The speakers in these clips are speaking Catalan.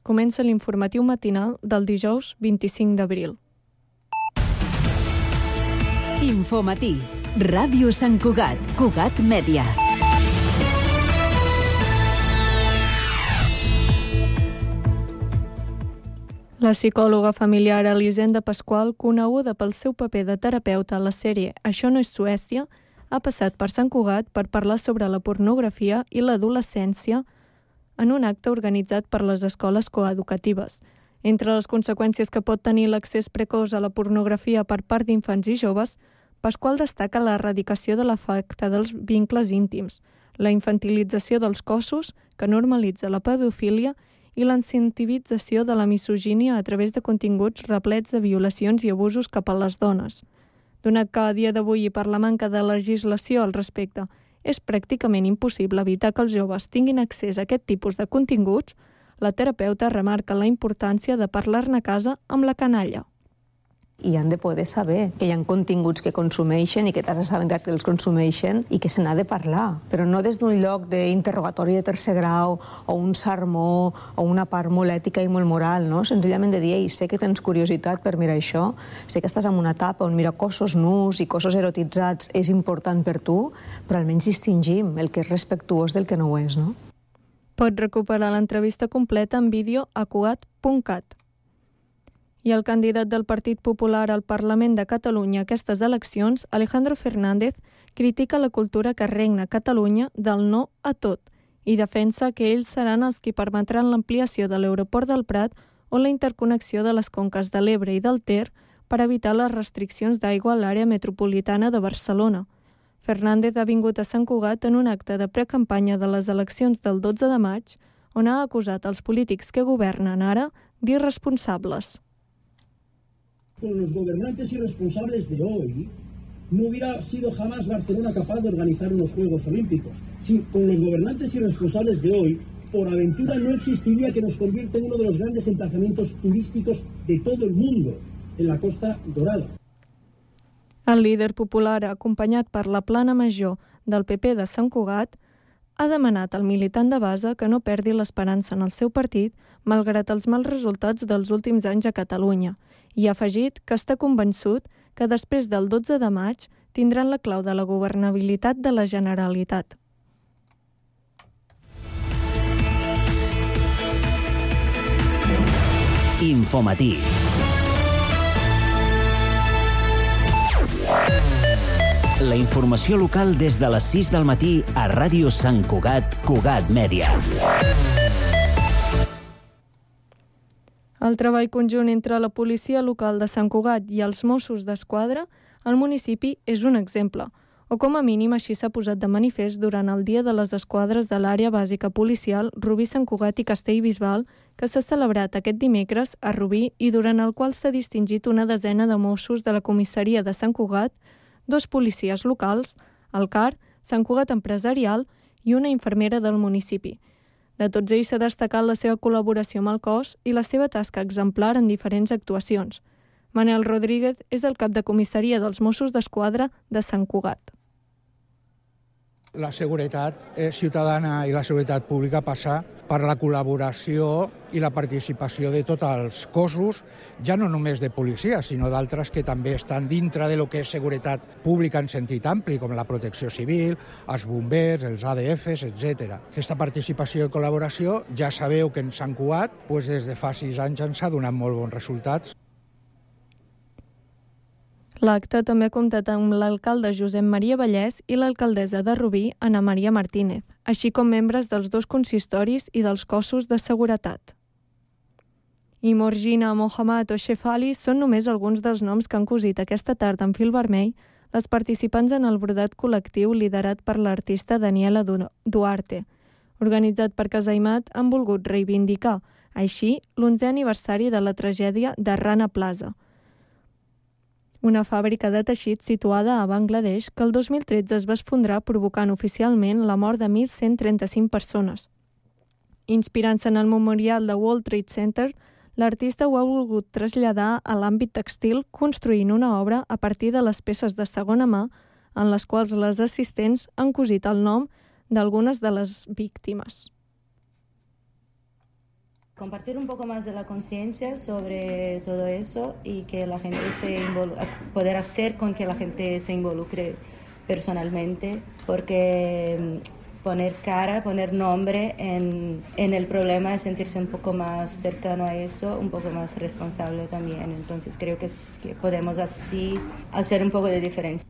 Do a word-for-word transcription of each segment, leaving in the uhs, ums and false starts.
Comença l'informatiu matinal del dijous vint-i-cinc d'abril. Infomatí. Ràdio Sant Cugat. Cugat Mèdia. La psicòloga familiar Elisenda Pasqual, coneguda pel seu paper de terapeuta a la sèrie Això no és Suècia, ha passat per Sant Cugat per parlar sobre la pornografia i l'adolescència en un acte organitzat per les escoles coeducatives. Entre les conseqüències que pot tenir l'accés precoç a la pornografia per part d'infants i joves, Pasqual destaca l'erradicació de l'efecte dels vincles íntims, la infantilització dels cossos, que normalitza la pedofília, i l'incentivització de la misogínia a través de continguts replets de violacions i abusos cap a les dones. Donat que a dia d'avui i per la manca de legislació al respecte és pràcticament impossible evitar que els joves tinguin accés a aquest tipus de continguts, la terapeuta remarca la importància de parlar-ne a casa amb la canalla. I han de poder saber que hi ha continguts que consumeixen i que t'has assabentat que els consumeixen i que se n'ha de parlar, però no des d'un lloc d'interrogatori de tercer grau o un sermó o una part molt ètica i molt moral, no? Senzillament de dir, ei, sé que tens curiositat per mirar això, sé que estàs en una etapa on mirar cossos nus i cossos erotitzats és important per tu, però almenys distingim el que és respectuós del que no ho és, no? Pots recuperar l'entrevista completa en vídeo a cugat punt cat. I el candidat del Partit Popular al Parlament de Catalunya a aquestes eleccions, Alejandro Fernández, critica la cultura que regna a Catalunya del no a tot i defensa que ells seran els qui permetran l'ampliació de l'aeroport del Prat o la interconnexió de les conques de l'Ebre i del Ter per evitar les restriccions d'aigua a l'àrea metropolitana de Barcelona. Fernández ha vingut a Sant Cugat en un acte de precampanya de les eleccions del dotze de maig, on ha acusat els polítics que governen ara d'irresponsables. Con los gobernantes irresponsables de hoy, no hubiera sido jamás Barcelona capaz de organizar unos Juegos Olímpicos. Si con los gobernantes irresponsables de hoy, por aventura no existiría que nos convierta en uno de los grandes emplazamientos turísticos de todo el mundo, en la Costa Dorada. El líder popular, acompanyat per la plana major del P P de Sant Cugat, ha demanat al militant de base que no perdi l'esperança en el seu partit, malgrat els mals resultats dels últims anys a Catalunya, i ha afegit que està convençut que després del dotze de maig tindran la clau de la governabilitat de la Generalitat. Infomatí. La informació local des de les sis del matí a Ràdio Sant Cugat, Cugat Mèdia. El treball conjunt entre la policia local de Sant Cugat i els Mossos d'Esquadra al municipi és un exemple, o com a mínim així s'ha posat de manifest durant el Dia de les Esquadres de l'Àrea Bàsica Policial Rubí, Sant Cugat i Castellbisbal, que s'ha celebrat aquest dimecres a Rubí i durant el qual s'ha distingit una desena de Mossos de la comissaria de Sant Cugat, dos policies locals, el C A R, Sant Cugat Empresarial i una infermera del municipi. De tots ells s'ha destacat la seva col·laboració amb el cos i la seva tasca exemplar en diferents actuacions. Manel Rodríguez és el cap de comissaria dels Mossos d'Esquadra de Sant Cugat. La seguretat ciutadana i la seguretat pública passa per la col·laboració i la participació de tots els cossos, ja no només de policia, sinó d'altres que també estan dintre de lo que és seguretat pública en sentit ampli, com la protecció civil, els bombers, els A D Fs, etcètera. Aquesta participació i col·laboració ja sabeu que en Sant Cugat doncs des de fa sis anys ens ha donat molt bons resultats. L'acte també ha comptat amb l'alcalde Josep Maria Vallès i l'alcaldessa de Rubí, Ana Maria Martínez, així com membres dels dos consistoris i dels cossos de seguretat. I Morgina, Mohammad o Shefali són només alguns dels noms que han cosit aquesta tarda en fil vermell les participants en el brodat col·lectiu liderat per l'artista Daniela Duarte. Organitzat per Casaimat, han volgut reivindicar, així, l'onzè aniversari de la tragèdia de Rana Plaza, una fàbrica de teixits situada a Bangladesh que el dos mil tretze es va esfondrar provocant oficialment la mort de mil cent trenta-cinc persones. Inspirant-se en el memorial de World Trade Center, l'artista ho ha volgut traslladar a l'àmbit textil construint una obra a partir de les peces de segona mà en les quals les assistents han cosit el nom d'algunes de les víctimes. Compartir un poco más de la conciencia sobre todo eso y que la gente se involu- poder hacer con que la gente se involucre personalmente, porque poner cara, poner nombre en, en el problema es sentirse un poco más cercano a eso, un poco más responsable también. Entonces creo que, es, que podemos así hacer un poco de diferencia.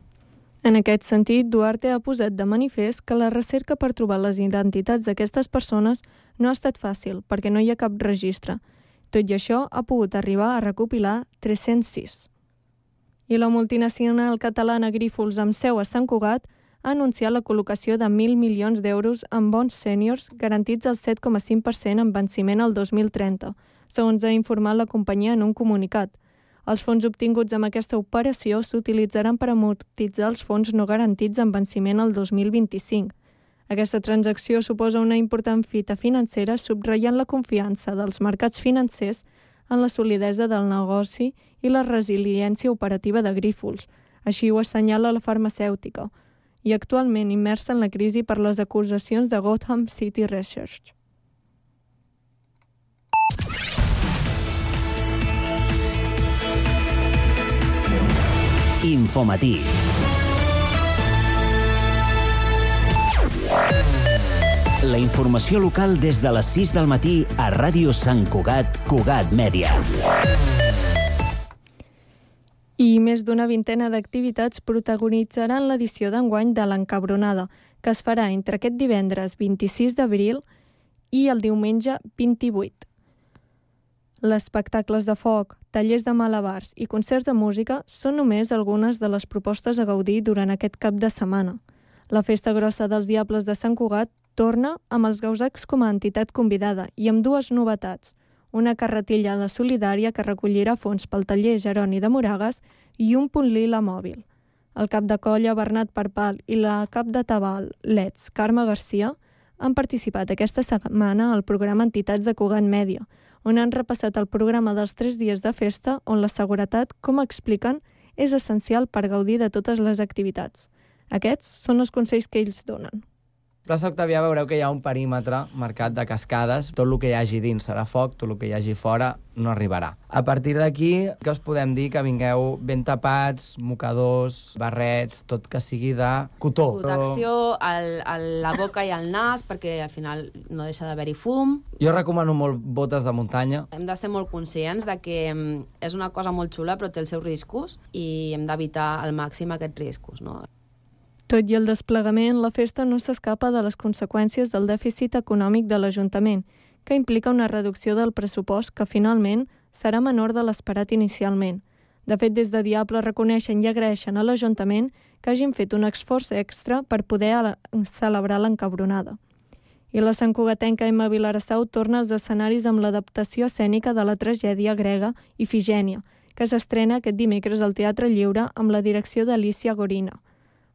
En aquest sentit, Duarte ha posat de manifest que la recerca per trobar les identitats d'aquestes persones no ha estat fàcil, perquè no hi ha cap registre. Tot i això, ha pogut arribar a recopilar tres-cents sis. I la multinacional catalana Grífols, amb seu a Sant Cugat, ha anunciat la col·locació de mil milions d'euros en bons sèniors garantits al set coma cinc per cent en venciment al dos mil trenta, segons ha informat la companyia en un comunicat. Els fons obtinguts amb aquesta operació s'utilitzaran per amortitzar els fons no garantits en venciment al dos mil vint-i-cinc. Aquesta transacció suposa una important fita financera, subratllant la confiança dels mercats financers en la solidesa del negoci i la resiliència operativa de Grífols. Així ho assenyala la farmacèutica, i actualment immersa en la crisi per les acusacions de Gotham City Research. Infomatí. La informació local des de les sis del matí a Ràdio Sant Cugat, Cugat Mèdia. I més d'una vintena d'activitats protagonitzaran l'edició d'enguany de l'Encabronada, que es farà entre aquest divendres vint-i-sis d'abril i el diumenge vint-i-vuit. Les espectacles de foc, tallers de malabars i concerts de música són només algunes de les propostes a gaudir durant aquest cap de setmana. La Festa Grossa dels Diables de Sant Cugat torna amb els Gausacs com a entitat convidada i amb dues novetats: una carretillada solidària que recollirà fons pel taller Jeroni de Moragas i un punt lila mòbil. El cap de colla Bernat Parpal i la cap de tabal Let's Carme Garcia han participat aquesta setmana al programa Entitats de Cugat Mèdia, on han repassat el programa dels tres dies de festa, on la seguretat, com expliquen, és essencial per gaudir de totes les activitats. Aquests són els consells que ells donen. Plaça Octavià veureu que hi ha un perímetre marcat de cascades. Tot el que hi hagi dins serà foc, tot el que hi hagi fora no arribarà. A partir d'aquí, que us podem dir que vingueu ben tapats, mocadors, barrets, tot que sigui de cotó. Protecció al, a la boca i al nas, perquè al final no deixa d'haver-hi fum. Jo recomano molt botes de muntanya. Hem de ser molt conscients de que és una cosa molt xula, però té els seus riscos i hem d'evitar al màxim aquests riscos, no? Tot i el desplegament, la festa no s'escapa de les conseqüències del dèficit econòmic de l'Ajuntament, que implica una reducció del pressupost que finalment serà menor de l'esperat inicialment. De fet, des de Diable reconeixen i agraeixen a l'Ajuntament que hagin fet un esforç extra per poder celebrar l'Encabronada. I la santcugatenca Emma Vilarassau torna als escenaris amb l'adaptació escènica de la tragèdia grega Ifigènia, que s'estrena aquest dimecres al Teatre Lliure amb la direcció d'Alicia Gorina.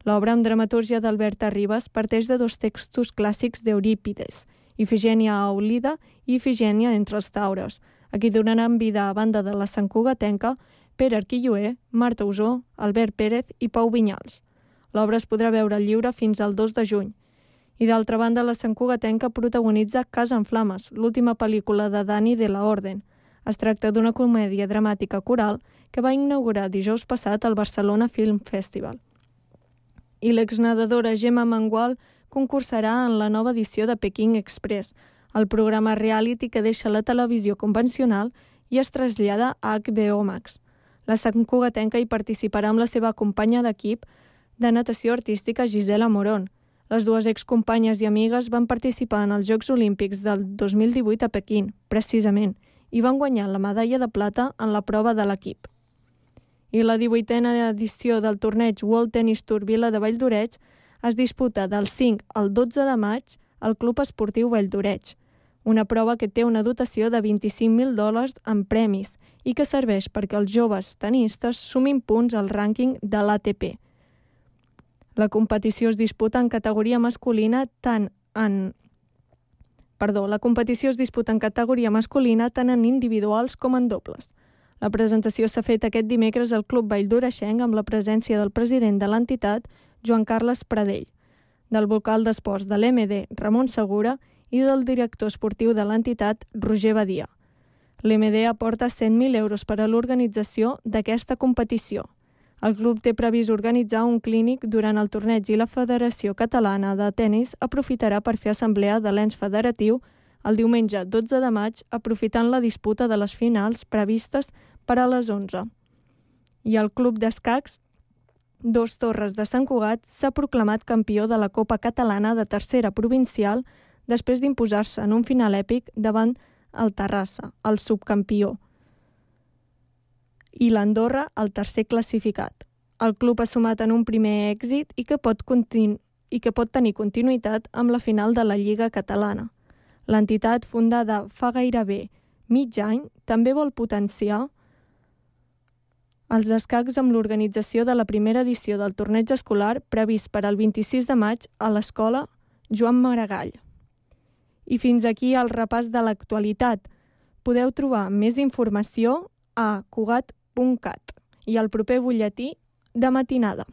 L'obra amb dramatúrgia d'Alberta Ribas parteix de dos textos clàssics d'Eurípides, Ifigènia a Aulida i Ifigènia entre els taures, a qui donaran vida a banda de la santcugatenca Pere Arquilloé, Marta Usó, Albert Pérez i Pau Vinyals. L'obra es podrà veure al lliure fins al dos de juny. I d'altra banda, la santcugatenca protagonitza Casa en Flames, l'última pel·lícula de Dani de la Orden. Es tracta d'una comèdia dramàtica coral que va inaugurar dijous passat al Barcelona Film Festival. I l'exnedadora Gemma Mangual concursarà en la nova edició de Peking Express, el programa reality que deixa la televisió convencional i es trasllada a H B O Max. La santcugatenca hi participarà amb la seva companya d'equip de natació artística Gisela Morón. Les dues excompanyes i amigues van participar en els Jocs Olímpics del dos mil divuit a Pequín, precisament, i van guanyar la medalla de plata en la prova de l'equip. I la divuitena edició del torneig World Tennis Tour Vila de Valldoreix es disputa del cinc al dotze de maig al Club Esportiu Valldoreix, una prova que té una dotació de vint-i-cinc mil dòlars en premis i que serveix perquè els joves tenistes sumin punts al rànquing de l'A T P. La competició es disputa en categoria masculina tant en... Perdó, la competició es disputa en categoria masculina tant en individuals com en dobles. La presentació s'ha fet aquest dimecres al Club Valldoreixenc amb la presència del president de l'entitat, Joan Carles Pradell, del vocal d'esports de l'M D, Ramon Segura, i del director esportiu de l'entitat, Roger Badia. L'M D aporta cent mil euros per a l'organització d'aquesta competició. El club té previst organitzar un clínic durant el torneig i la Federació Catalana de Tenis aprofitarà per fer assemblea de l'ens federatiu el diumenge dotze de maig, aprofitant la disputa de les finals previstes per a les onze. I el club d'escacs Dos Torres de Sant Cugat s'ha proclamat campió de la Copa Catalana de tercera provincial després d'imposar-se en un final èpic davant el Terrassa, el subcampió, i l'Andorra, el tercer classificat. El club ha sumat en un primer èxit i que pot, continu i que pot tenir continuïtat amb la final de la Lliga Catalana. L'entitat, fundada fa gairebé mig any, també vol potenciar els escacs amb l'organització de la primera edició del torneig escolar previst per al vint-i-sis de maig a l'escola Joan Maragall. I fins aquí el repàs de l'actualitat. Podeu trobar més informació a cugat punt cat i al proper butlletí de matinada.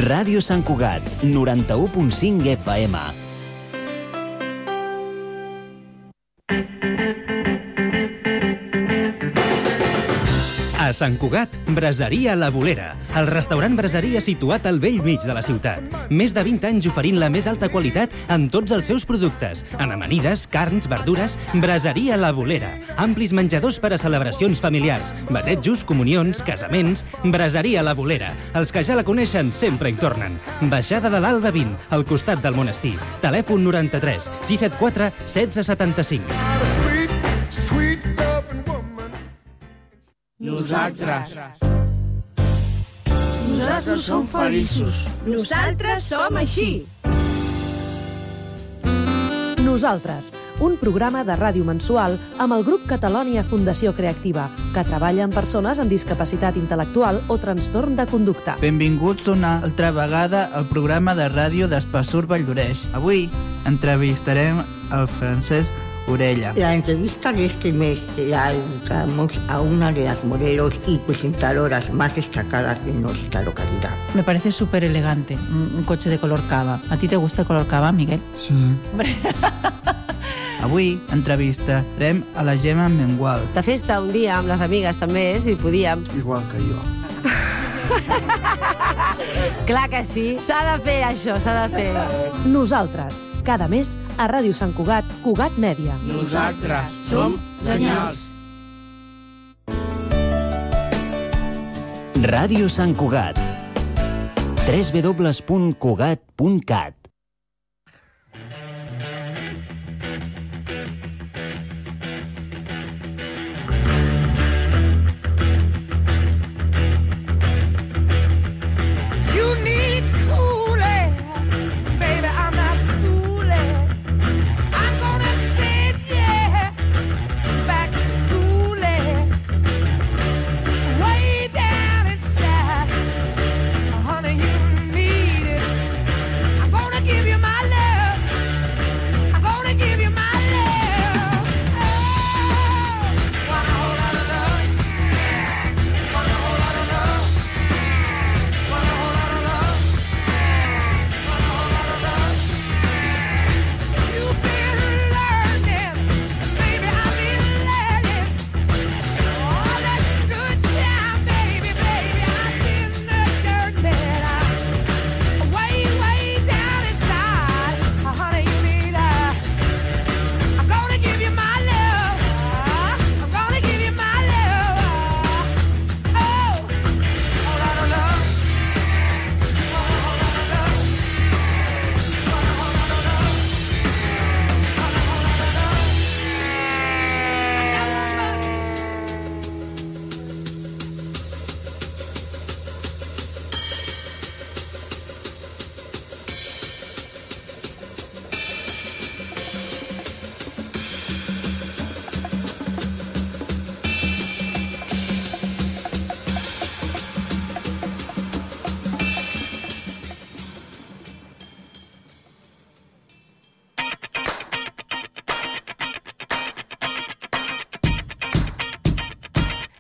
Ràdio Sant Cugat, noranta-u punt cinc F M. A Sant Cugat, Braseria La Bolera, el restaurant braseria situat al vell mig de la ciutat. Més de vint anys oferint la més alta qualitat en tots els seus productes. En amanides, carns, verdures, Braseria La Bolera. Amplis menjadors per a celebracions familiars, batejos, comunions, casaments. Braseria La Bolera. Els que ja la coneixen sempre hi tornen. Baixada de l'Alba vint, al costat del monestir. Telèfon noranta-tres sis set quatre setze setanta-cinc. Nosaltres. Nosaltres som feliços. Nosaltres som així. Nosaltres, un programa de ràdio mensual amb el grup Catalònia Fundació Creativa, que treballa amb persones amb discapacitat intel·lectual o trastorn de conducta. Benvinguts una altra vegada al programa de ràdio d'Espassur Valldoreix. Avui entrevistarem el Francesc Orella. La entrevista de este mes la dedicamos a una de las modelos y presentadoras más destacadas de nuestra localidad. Me parece súper elegante, un, un coche de color cava. ¿A ti te gusta el color cava, Miguel? Sí. Avui entrevistarem a la Gemma Mengual. De festa un dia amb les amigues també, si podíem. Igual que jo. Clar que sí, s'ha de fer això, s'ha de fer. Nosaltres, cada mes a Ràdio Sant Cugat, Cugat Mèdia. Nosaltres som genials. Ràdio Sant Cugat. w w w punt cugat punt cat. Honey, you need it. I'm gonna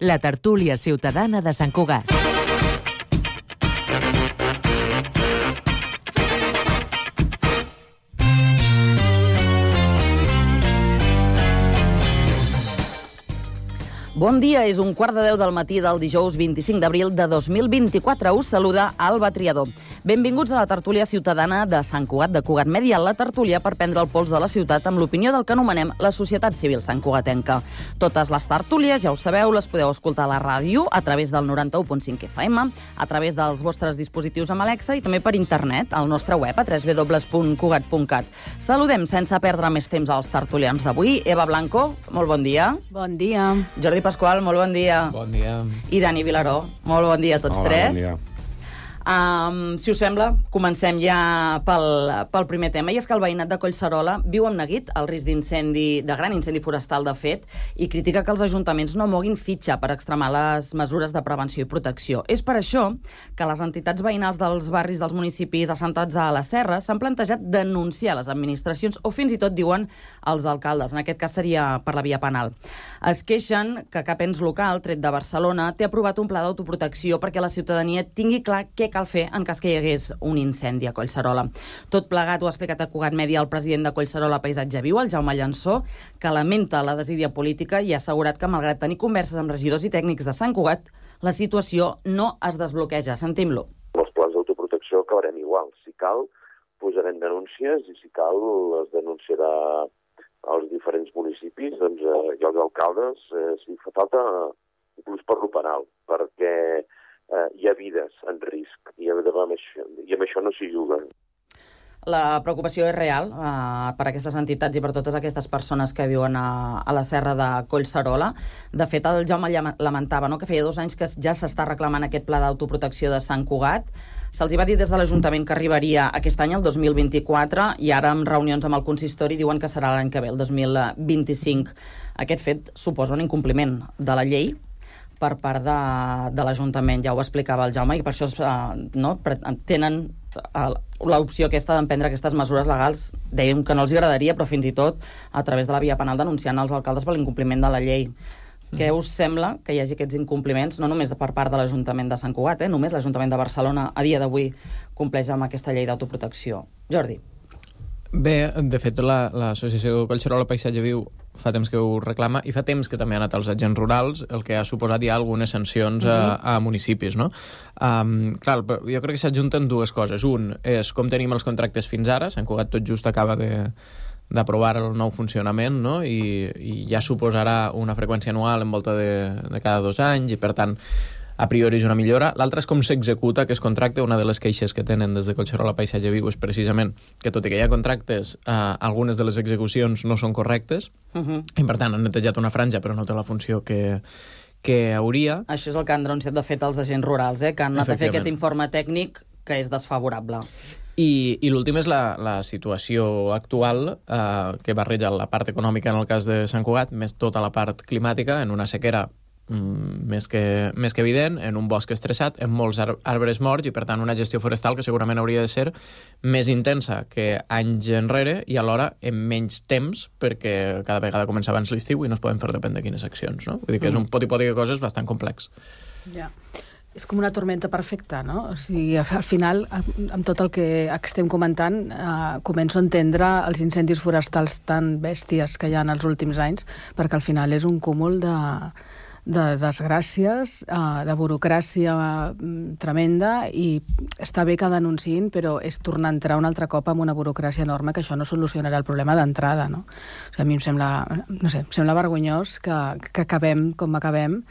la tertúlia ciutadana de Sant Cugat. Bon dia, és un quart de deu del matí del dijous vint-i-cinc d'abril de dos mil vint-i-quatre. Us saluda Alba Triador. Benvinguts a la tertúlia ciutadana de Sant Cugat, de Cugat Mèdia, la tertúlia per prendre el pols de la ciutat amb l'opinió del que anomenem la societat civil santcugatenca. Totes les tertúlies, ja ho sabeu, les podeu escoltar a la ràdio a través del noranta-u punt cinc F M, a través dels vostres dispositius amb Alexa i també per internet, al nostre web a w w w punt cugat punt cat. Saludem sense perdre més temps als tertulians d'avui. Eva Blanco, molt bon dia. Bon dia. Jordi Pasqual, molt bon dia. Bon dia. I Dani Vilaró, molt bon dia a tots Hola, tres. Bon dia. Um, si us sembla, comencem ja pel, pel primer tema, i és que el veïnat de Collserola viu amb neguit el risc d'incendi, de gran incendi forestal, de fet, i critica que els ajuntaments no moguin fitxa per extremar les mesures de prevenció i protecció. És per això que les entitats veïnals dels barris dels municipis assentats a la Serra s'han plantejat denunciar les administracions o fins i tot diuen els alcaldes. En aquest cas seria per la via penal. Es queixen que cap ens local, tret de Barcelona, té aprovat un pla d'autoprotecció perquè la ciutadania tingui clar què cal fer en cas que hi hagués un incendi a Collserola. Tot plegat ho ha explicat a Cugat Mèdia el president de Collserola Paisatge Viu, el Jaume Llansó, que lamenta la desídia política i ha assegurat que, malgrat tenir converses amb regidors i tècnics de Sant Cugat, la situació no es desbloqueja. Sentim-lo. Els plans d'autoprotecció acabarem igual. Si cal, posarem denúncies i si cal, les denunciarà als diferents municipis, doncs, eh, i els alcaldes, eh, si fa falta, inclús per lo penal, perquè Uh, hi ha vides en risc i amb això, i amb això no s'hi juga. La preocupació és real uh, per aquestes entitats i per totes aquestes persones que viuen a, a la serra de Collserola. De fet, el Jaume lamentava, no?, que feia dos anys que ja s'està reclamant aquest pla d'autoprotecció de Sant Cugat. Se'ls hi va dir des de l'Ajuntament que arribaria aquest any, el dos mil vint-i-quatre, i ara, amb reunions amb el consistori, diuen que serà l'any que ve, el dos mil vint-i-cinc. Aquest fet suposa un incompliment de la llei per part de, de l'Ajuntament, ja ho explicava el Jaume, i per això uh, no, tenen uh, l'opció aquesta d'emprendre aquestes mesures legals. Dèiem que no els agradaria, però fins i tot a través de la via penal denunciant els alcaldes per l'incompliment de la llei. Mm. Què us sembla que hi hagi aquests incompliments, no només per part de l'Ajuntament de Sant Cugat, eh? Només l'Ajuntament de Barcelona a dia d'avui compleix amb aquesta llei d'autoprotecció. Jordi. Bé, de fet, l'associació Collserola Paisatge Viu fa temps que ho reclama i fa temps que també ha anat als agents rurals, el que ha suposat ja algunes sancions a, a municipis, no? Um, clar, jo crec que s'adjunten dues coses. Un és com tenim els contractes fins ara. Sant Cugat tot just acaba de d'aprovar el nou funcionament, no? I, i ja suposarà una freqüència anual en volta de, de cada dos anys i, per tant, a priori és una millora. L'altra és com s'executa aquest contracte. Una de les queixes que tenen des de Collserola Paisatge Viu és precisament que, tot i que hi ha contractes, eh, algunes de les execucions no són correctes, uh-huh. i per tant han netejat una franja però no té la funció que, que hauria. Això és el que han denunciat, de fet, els agents rurals, eh, que han anat a fer aquest informe tècnic que és desfavorable. I, i l'últim és la, la situació actual, eh, que barreja la part econòmica en el cas de Sant Cugat, més tota la part climàtica, en una sequera Mm, més, que, més que evident, en un bosc estressat, en molts ar arbres morts i, per tant, una gestió forestal que segurament hauria de ser més intensa que anys enrere i alhora en menys temps, perquè cada vegada comença abans l'estiu i no es poden fer depèn de quines accions, no? Vull dir que és un poti-poti de coses bastant complex. Ja. És com una tormenta perfecta, no? O sigui, al final, amb tot el que estem comentant, eh, començo a entendre els incendis forestals tan bèsties que hi ha en els últims anys, perquè al final és un cúmul de de desgràcies, de burocràcia tremenda, i està bé que denunciïn, però és tornar a entrar un altre cop amb una burocràcia enorme, que això no solucionarà el problema d'entrada, no? O sigui, a mi em sembla, no sé, em sembla vergonyós que, que acabem com acabem,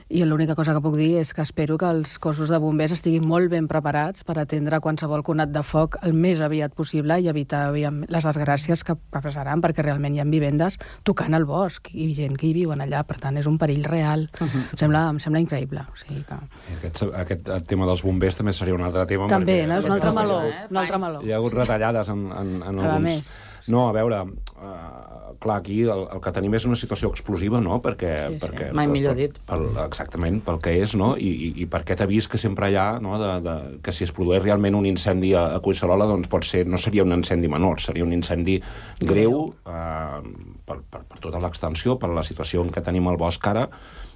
i l'única cosa que puc dir és que espero que els cossos de bombers estiguin molt ben preparats per atendre qualsevol conat de foc el més aviat possible i evitar aviam, les desgràcies que passaran, perquè realment hi ha vivendes tocant al bosc i gent que hi viuen allà, per tant és un perill real. Uh-huh. em, sembla, em sembla increïble. O sigui que... aquest, aquest tema dels bombers també seria un altre tema. També, perquè, no? És un altre meló. Eh? Un altre meló. Hi ha hagut retallades en, en, en a alguns... més. No, a veure, uh, clar, aquí el, el que tenim és una situació explosiva, no? Perquè, sí, sí. perquè, Mai per, millor per, dit. Per, exactament, pel que és, no? I, i, i per aquest avís que sempre hi ha, no? De, de, que si es produeix realment un incendi a, a Collserola, doncs pot ser, no seria un incendi menor, seria un incendi greu, uh, per, per, per tota l'extensió, per la situació en què tenim el bosc ara,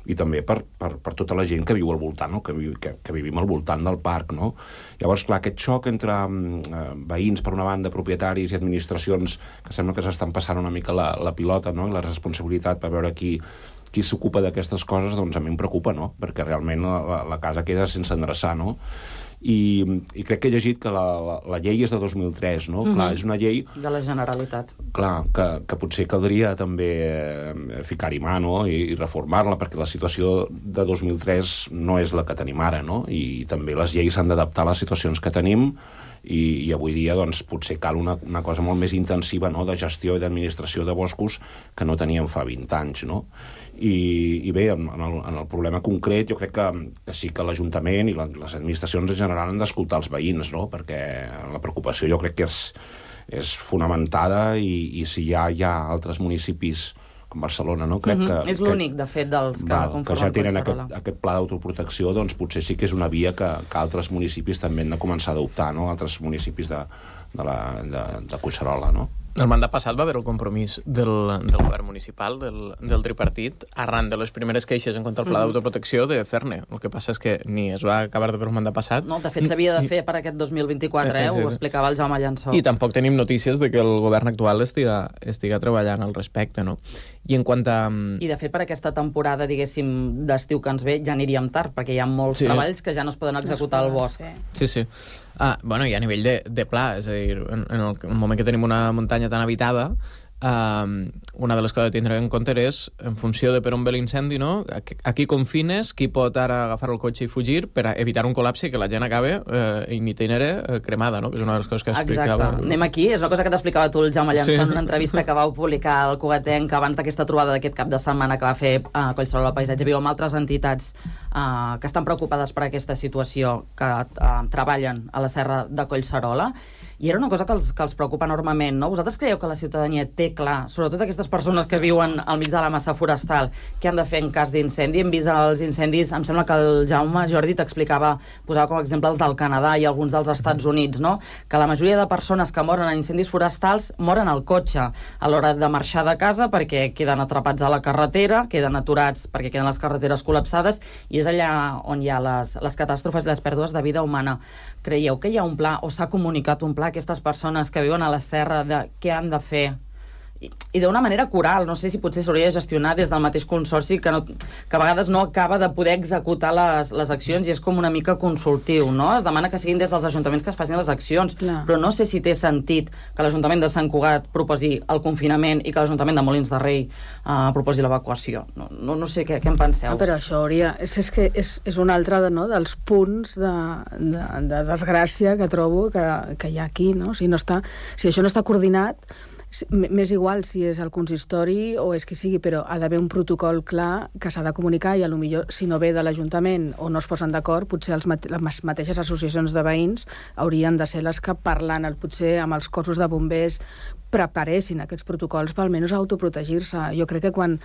i també per, per, per tota la gent que viu al voltant, no? que, viu, que, que vivim al voltant del parc. No? Llavors, clar, aquest xoc entre eh, veïns, per una banda, propietaris i administracions, que sembla que s'estan passant una mica la, la pilota, no? I la responsabilitat per veure qui, qui s'ocupa d'aquestes coses, doncs a mi em preocupa, no? Perquè realment la, la casa queda sense endreçar, no? I, i crec que he llegit que la, la, la llei és de dos mil tres, no? Mm-hmm. Clar, és una llei... De la Generalitat. Clar, que, que potser caldria també eh, ficar-hi mà, no? I, i reformar-la, perquè la situació de dos mil tres no és la que tenim ara, no? I també les lleis s'han d'adaptar a les situacions que tenim i, i avui dia, doncs, potser cal una, una cosa molt més intensiva, no?, de gestió i d'administració de boscos que no teníem fa vint anys, no? I, i bé, en el, en el problema concret jo crec que, que sí que l'Ajuntament i la, les administracions en general han d'escoltar els veïns, no? Perquè la preocupació jo crec que és, és fonamentada i, i si ja hi ha altres municipis com Barcelona, no? Crec mm-hmm. que, és l'únic, de fet, dels que val, conformen que ja tenen aquest, aquest pla d'autoprotecció, doncs potser sí que és una via que, que altres municipis també han de començar a adoptar, no? Altres municipis de, de, la, de, de Collserola, no? El mandat passat va haver el compromís del, del govern municipal, del, del tripartit, arran de les primeres queixes en contra del pla d'autoprotecció de fer-ne. El que passa és que ni es va acabar de fer el mandat passat... No, de fet s'havia de fer per aquest dos mil vint-i-quatre, eh? Ho explicava el Jaume Llançó. I tampoc tenim notícies de que el govern actual estiga, estiga treballant al respecte, no? I en quant a... I de fet per aquesta temporada, diguéssim, d'estiu que ens ve, ja aniríem tard, perquè hi ha molts sí. treballs que ja no es poden executar al bosc. Sí, sí. Ah, bueno, i a nivell de, de pla, és a dir, en, en el, el moment que tenim una muntanya tan habitada, Uh, una de les coses que tindrem en compte és, en funció de per on ve l'incendi, no? A qui confines, qui pot ara agafar el cotxe i fugir per a evitar un col·lapse i que la gent acabe uh, in itinere uh, cremada, no? Que és una de les coses que explicava... Exacte. Anem aquí, és una cosa que t'explicava tu el Jaume Llançó sí. en una entrevista que vau publicar al Cugatenc abans d'aquesta trobada d'aquest cap de setmana que va fer a uh, Collserola Paisatge Viu amb altres entitats uh, que estan preocupades per aquesta situació, que uh, treballen a la serra de Collserola. I era una cosa que els, que els preocupa enormement, no? Vosaltres creieu que la ciutadania té clar, sobretot aquestes persones que viuen al mig de la massa forestal, què han de fer en cas d'incendi? Hem vist els incendis, em sembla que el Jaume Jordi t'explicava, posava com a exemple els del Canadà i alguns dels Estats Units, no? Que la majoria de persones que moren en incendis forestals moren al cotxe a l'hora de marxar de casa perquè queden atrapats a la carretera, queden aturats perquè queden les carreteres col·lapsades, i és allà on hi ha les, les catàstrofes i les pèrdues de vida humana. Creieu que hi ha un pla, o s'ha comunicat un pla a aquestes persones que viuen a la serra de què han de fer? I, i d'una manera coral, no sé si potser s'hauria de gestionar des del mateix consorci que, no, que a vegades no acaba de poder executar les, les accions i és com una mica consultiu, no? Es demana que siguin des dels ajuntaments que es facin les accions, Clar. però no sé si té sentit que l'Ajuntament de Sant Cugat proposi el confinament i que l'Ajuntament de Molins de Rei uh, proposi l'evacuació. No, no, no sé què, què en penseu. No, però això hauria... És, és que és, és un altre de, no, dels punts de, de, de desgràcia que trobo que, que hi ha aquí, no? Si, no està, si això no està coordinat, m'és igual si és el consistori o és qui sigui, però ha d'haver un protocol clar que s'ha de comunicar i a lo millor si no ve de l'Ajuntament o no es posen d'acord, potser els mate les mateixes associacions de veïns haurien de ser les que parlant el, potser amb els cossos de bombers preparessin aquests protocols per almenys autoprotegir-se. Jo crec que quan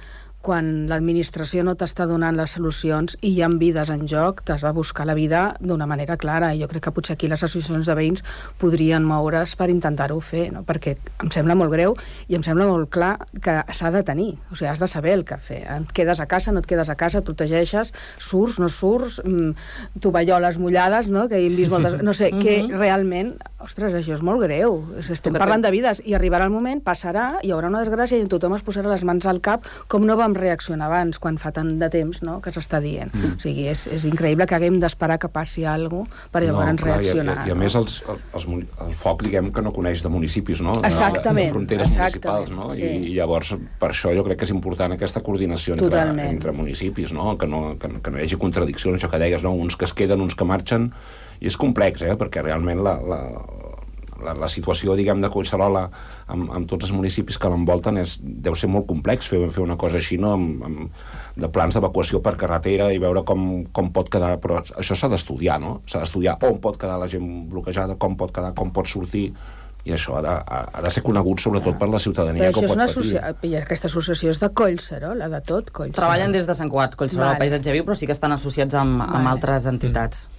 quan l'administració no t'està donant les solucions i hi ha vides en joc, t'has de buscar la vida d'una manera clara. I jo crec que potser aquí les associacions de veïns podrien moure's per intentar-ho fer, no? Perquè em sembla molt greu i em sembla molt clar que s'ha de tenir. O sigui, has de saber el que fer. Et quedes a casa, no et quedes a casa, et protegeixes, surts, no surts, mmm, tovalloles mullades, no? Que hem vist moltes... No sé, que realment... Ostres, això és molt greu. Estem parlant de vides i arribarà el moment, passarà, hi haurà una desgràcia i tothom es posarà les mans al cap com no vam reaccionar abans, quan fa tant de temps, no?, que s'està dient. Mm. O sigui, és, és increïble que haguem d'esperar que passi alguna cosa per llavors no, clar, reaccionar. I, i, i a més els, els, el foc, diguem, que no coneix de municipis, no? Exactament. De, de fronteres Exactament, municipals, no? Sí. I, I llavors, per això jo crec que és important aquesta coordinació entre, entre municipis, no? Que, no, que, que no hi hagi contradiccions, això que deies, no? Uns que es queden, uns que marxen, i és complex, eh? Perquè realment la... la La, la situació, diguem, de Collserola amb, amb tots els municipis que l'envolten és, deu ser molt complex fer, fer una cosa així, no? Amb, amb, de plans d'evacuació per carretera i veure com, com pot quedar, però això s'ha d'estudiar, no? S'ha d'estudiar on pot quedar la gent bloquejada, com pot quedar, com pot sortir, i això ha de, ha de ser conegut sobretot per la ciutadania que ho pot patir. I aquesta associació és de Collserola, de tot Collserola. Treballen des de Sant Cugat, Collserola vale. Paisatge Viu, però sí que estan associats amb, amb vale. altres entitats.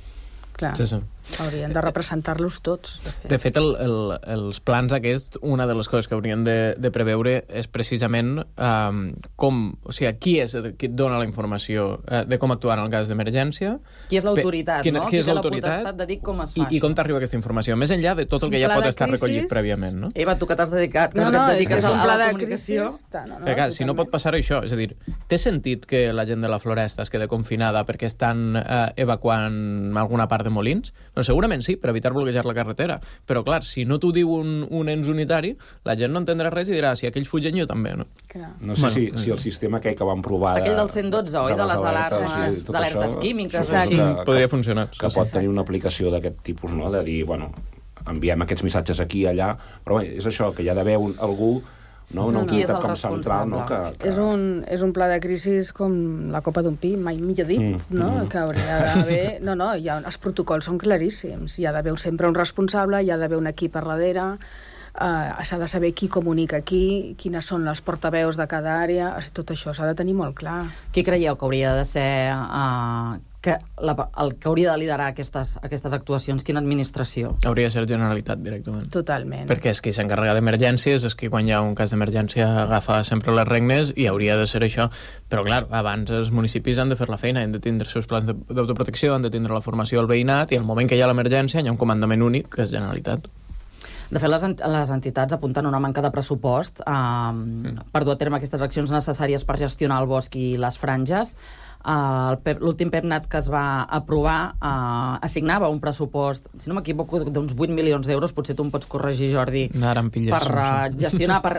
Clar. Sí, sí. Haurien de representar-los tots. De fet, de fet el, el, els plans aquests, una de les coses que haurien de, de preveure és precisament um, com, o sigui, qui és qui et dona la informació uh, de com actuar en el cas d'emergència. Qui és l'autoritat, Qui, no? Qui és té la l'autoritat potestat de dir com es fa i, i com t'arriba aquesta informació, més enllà de tot el que ja pot estar recollit prèviament, no? Eva, tu que t'has dedicat, que no, no, no, et dediques és a, a la la comunicació. No, no, Perquè, clar, si no pot passar això, és a dir, té sentit que la gent de la Floresta es queda confinada perquè estan eh, evacuant alguna part de Molins? Doncs segurament sí, per evitar bloquejar la carretera. Però, clar, si no t'ho diu un, un ens unitari, la gent no entendrà res i dirà, si aquells fugen, jo també, no? Clar. No sé bueno, si, si el sistema aquell que vam provar... Aquell del cent dotze, oi? De, de les alarmes, sí, d'alertes químiques. Sí, que, podria funcionar. Que pot tenir una aplicació d'aquest tipus, no? De dir, bueno, enviem aquests missatges aquí i allà, però bé, és això, que hi ha d'haver un, algú, no? Una no, autoritat no. com central, no? Que, que... És, un, és un pla de crisi com la copa d'un pi, mai millor dit, mm, no? Mm. Que hauria d'haver... No, no, hi ha, els protocols són claríssims. Hi ha d'haver sempre un responsable, hi ha d'haver un equip per darrere, uh, s'ha de saber qui comunica qui, quines són les portaveus de cada àrea, tot això s'ha de tenir molt clar. Qui creieu que hauria de ser... Uh, que la, el que hauria de liderar aquestes, aquestes actuacions? Quina administració? Hauria de ser Generalitat, directament. Totalment. Perquè és qui s'encarrega d'emergències, és qui quan hi ha un cas d'emergència agafa sempre les regnes i hauria de ser això. Però, clar, abans els municipis han de fer la feina, han de tindre els seus plans d'autoprotecció, han de tindre la formació al veïnat i al moment que hi ha l'emergència hi ha un comandament únic, que és Generalitat. De fet, les, ent les entitats apunten una manca de pressupost eh, mm. per dur a terme aquestes accions necessàries per gestionar el bosc i les franges. Uh, l'últim PEPNAT que es va aprovar uh, assignava un pressupost, si no m'equivoco, d'uns vuit milions d'euros, potser tu em pots corregir, Jordi, pilles, per uh, gestionar, per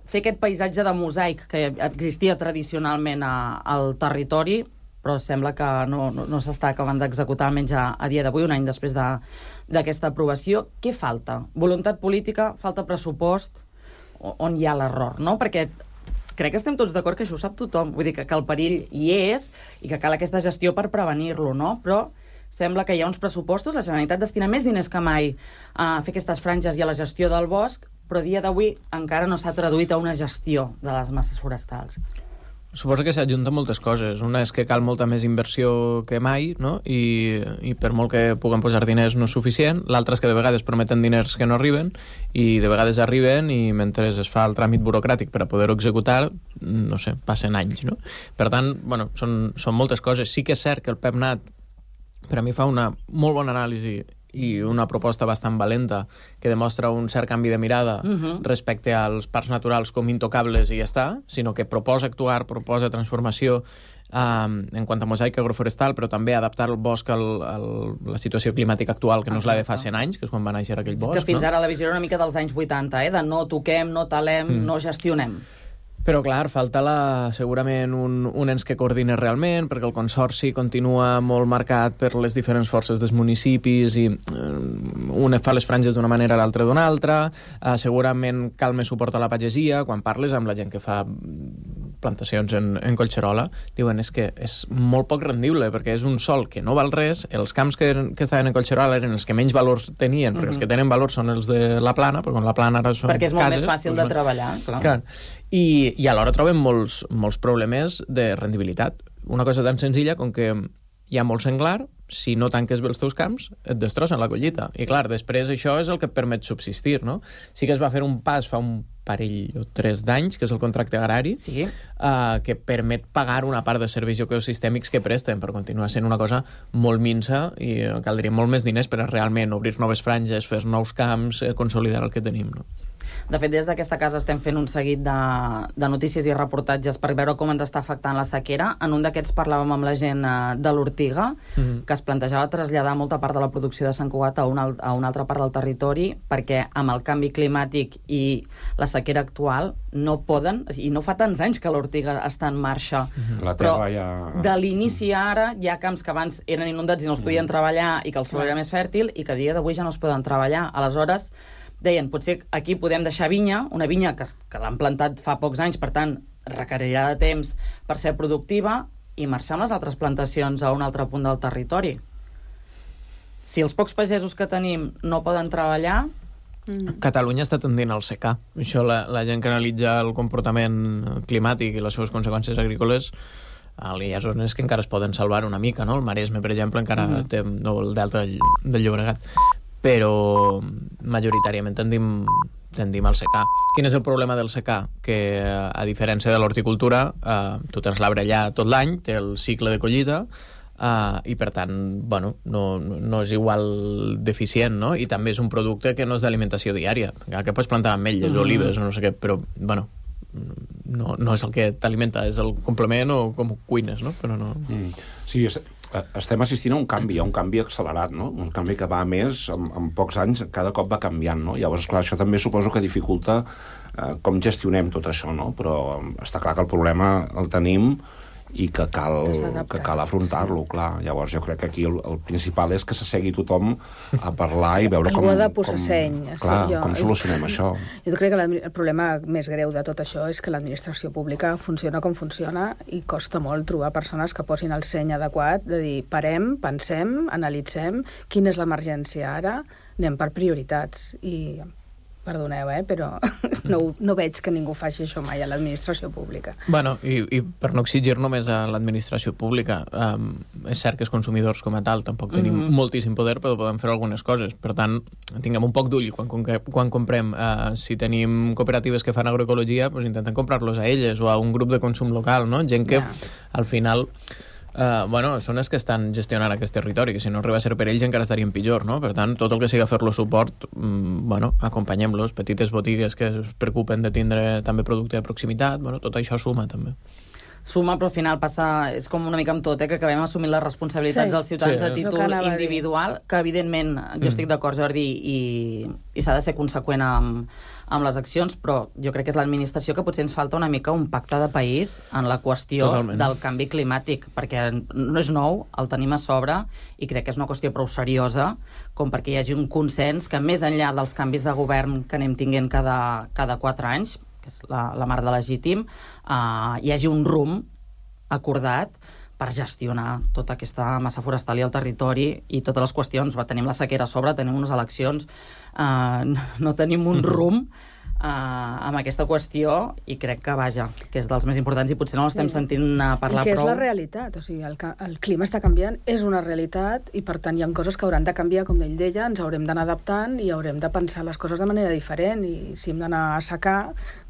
fer aquest paisatge de mosaic que existia tradicionalment a, al territori, però sembla que no, no, no s'està acabant d'executar, almenys a, a dia d'avui, un any després d'aquesta de, aprovació. Què falta? Voluntat política? Falta pressupost? On hi ha l'error, no? Perquè crec que estem tots d'acord que això ho sap tothom, vull dir que, que el perill hi és i que cal aquesta gestió per prevenir-lo, no? Però sembla que hi ha uns pressupostos, la Generalitat destina més diners que mai a fer aquestes franges i a la gestió del bosc, però a dia d'avui encara no s'ha traduït a una gestió de les masses forestals. Suposo que s'ajunten moltes coses. Una és que cal molta més inversió que mai, no? I, i per molt que puguem posar diners no és suficient. L'altra és que de vegades prometen diners que no arriben i de vegades arriben i mentre es fa el tràmit burocràtic per a poder-ho executar, no sé, passen anys, no? Per tant, bueno, són, són moltes coses. Sí que és cert que el PEPNAT per a mi fa una molt bona anàlisi i una proposta bastant valenta que demostra un cert canvi de mirada uh-huh. respecte als parcs naturals com intocables i ja està, sinó que proposa actuar, proposa transformació um, en quant a mosaic agroforestal, però també adaptar el bosc a la situació climàtica actual, que no és la de fa cent anys, que és quan va néixer aquell bosc. És que fins no? ara la visió era una mica dels anys vuitanta, eh? De no toquem, no talem, mm. no gestionem. Però, clar, falta la, segurament un, un ens que coordina realment, perquè el consorci continua molt marcat per les diferents forces dels municipis i eh, un fa les franges d'una manera, l'altre d'una altra. Eh, segurament cal més suport a la pagesia. Quan parles amb la gent que fa plantacions en, en Collserola, diuen és que és molt poc rendible, perquè és un sòl que no val res. Els camps que, que estaven en Collserola eren els que menys valors tenien, perquè mm-hmm. els que tenen valor són els de la Plana, però quan la Plana ara són perquè és molt cases, més fàcil doncs, de treballar, clar. clar. I, i alhora trobem molts, molts problemes de rendibilitat. Una cosa tan senzilla com que hi ha molt senglar, si no tanques bé els teus camps, et destrossen la collita. I clar, després això és el que et permet subsistir, no? Sí que es va fer un pas fa un parell o tres d'anys, que és el contracte agrari, sí. uh, que permet pagar una part de serveis ecosistèmics que presten, per continuar sent una cosa molt minsa i caldria molt més diners per a realment obrir noves franges, fer nous camps, eh, consolidar el que tenim, no? De fet, des d'aquesta casa estem fent un seguit de, de notícies i reportatges per veure com ens està afectant la sequera. En un d'aquests parlàvem amb la gent de l'Ortiga, mm-hmm. que es plantejava traslladar molta part de la producció de Sant Cugat a una, a una altra part del territori, perquè amb el canvi climàtic i la sequera actual no poden, i no fa tants anys que l'Ortiga està en marxa, mm-hmm. la però terra ja... de l'inici a ara hi ha camps que abans eren inundats i no els podien mm-hmm. treballar i que el sòl era més fèrtil i que a dia d'avui ja no es poden treballar. Aleshores, deien, potser aquí podem deixar vinya, una vinya que, que l'han plantat fa pocs anys, per tant, requerirà de temps per ser productiva, i marxar amb les altres plantacions a un altre punt del territori. Si els pocs pagesos que tenim no poden treballar... Mm. Catalunya està tendint al secà. Això, la, la gent que analitza el comportament climàtic i les seves conseqüències agrícoles Hi ha zones que encara es poden salvar una mica, no? El Maresme, per exemple, encara mm. té no, el delta del, del Llobregat. Però majoritàriament tendim, tendim al secà. Quin és el problema del secà? Que, a diferència de l'horticultura, eh, tu tens l'arbre allà tot l'any, té el cicle de collita, Uh, i per tant, bueno, no, no és igual deficient, no? I també és un producte que no és d'alimentació diària, que pots plantar ametlles, mm. olives o no sé què, però, bueno, no, no és el que t'alimenta, és el complement o com ho cuines, no? Però no... Mm. Sí, és, estem assistint a un canvi, a un canvi accelerat, no? Un canvi que va més, en, en pocs anys, cada cop va canviant, no? Llavors, clar, això també suposo que dificulta eh, com gestionem tot això, no? Però està clar que el problema el tenim i que cal, que cal afrontar-lo, clar. Llavors jo crec que aquí el, el principal és que s'assegui tothom a parlar i veure com... Algú ha de posar seny. Clar, jo. com solucionem això. Jo crec que el problema més greu de tot això és que l'administració pública funciona com funciona i costa molt trobar persones que posin el seny adequat de dir, parem, pensem, analitzem, quina és l'emergència ara, anem per prioritats i... Perdoneu, eh, però no, no veig que ningú faci això mai a l'administració pública. Bueno, i, i per no exigir només a l'administració pública, um, és cert que els consumidors com a tal tampoc tenim mm-hmm. moltíssim poder, però podem fer algunes coses. Per tant, tinguem un poc d'ull quan, quan comprem. Uh, si tenim cooperatives que fan agroecologia, doncs intentem comprar-los a elles o a un grup de consum local, no? Gent que, yeah. al final... Uh, bueno, són els que estan gestionant aquest territori, que si no arriba a ser per ells encara estarien pitjor, no? Per tant, tot el que sigui fer-los suport, mm, bueno, acompanyem-los, petites botigues que es preocupen de tindre també producte de proximitat, bueno, tot això suma també. Suma, però al final passa, és com una mica amb tot, eh, que acabem assumint les responsabilitats sí. dels ciutadans sí, a títol no individual, que evidentment, jo mm. estic d'acord, Jordi, i, i s'ha de ser conseqüent amb, amb les accions, però jo crec que és l'administració que potser ens falta una mica un pacte de país en la qüestió Totalment. del canvi climàtic, perquè no és nou, el tenim a sobre, i crec que és una qüestió prou seriosa, com perquè hi hagi un consens que més enllà dels canvis de govern que anem tinguent cada, cada quatre anys, que és la, la mar de legítim, uh, hi hagi un rumb acordat per gestionar tota aquesta massa forestal i el territori i totes les qüestions. Va, tenim la sequera a sobre, tenim unes eleccions, uh, no tenim un rumb uh, amb aquesta qüestió i crec que, vaja, que és dels més importants i potser no l'estem sentint uh, parlar prou. I que és la realitat, o sigui, el, el clima està canviant, és una realitat i per tant hi ha coses que hauran de canviar, com ell deia, ens haurem d'anar adaptant i haurem de pensar les coses de manera diferent i si hem d'anar a assecar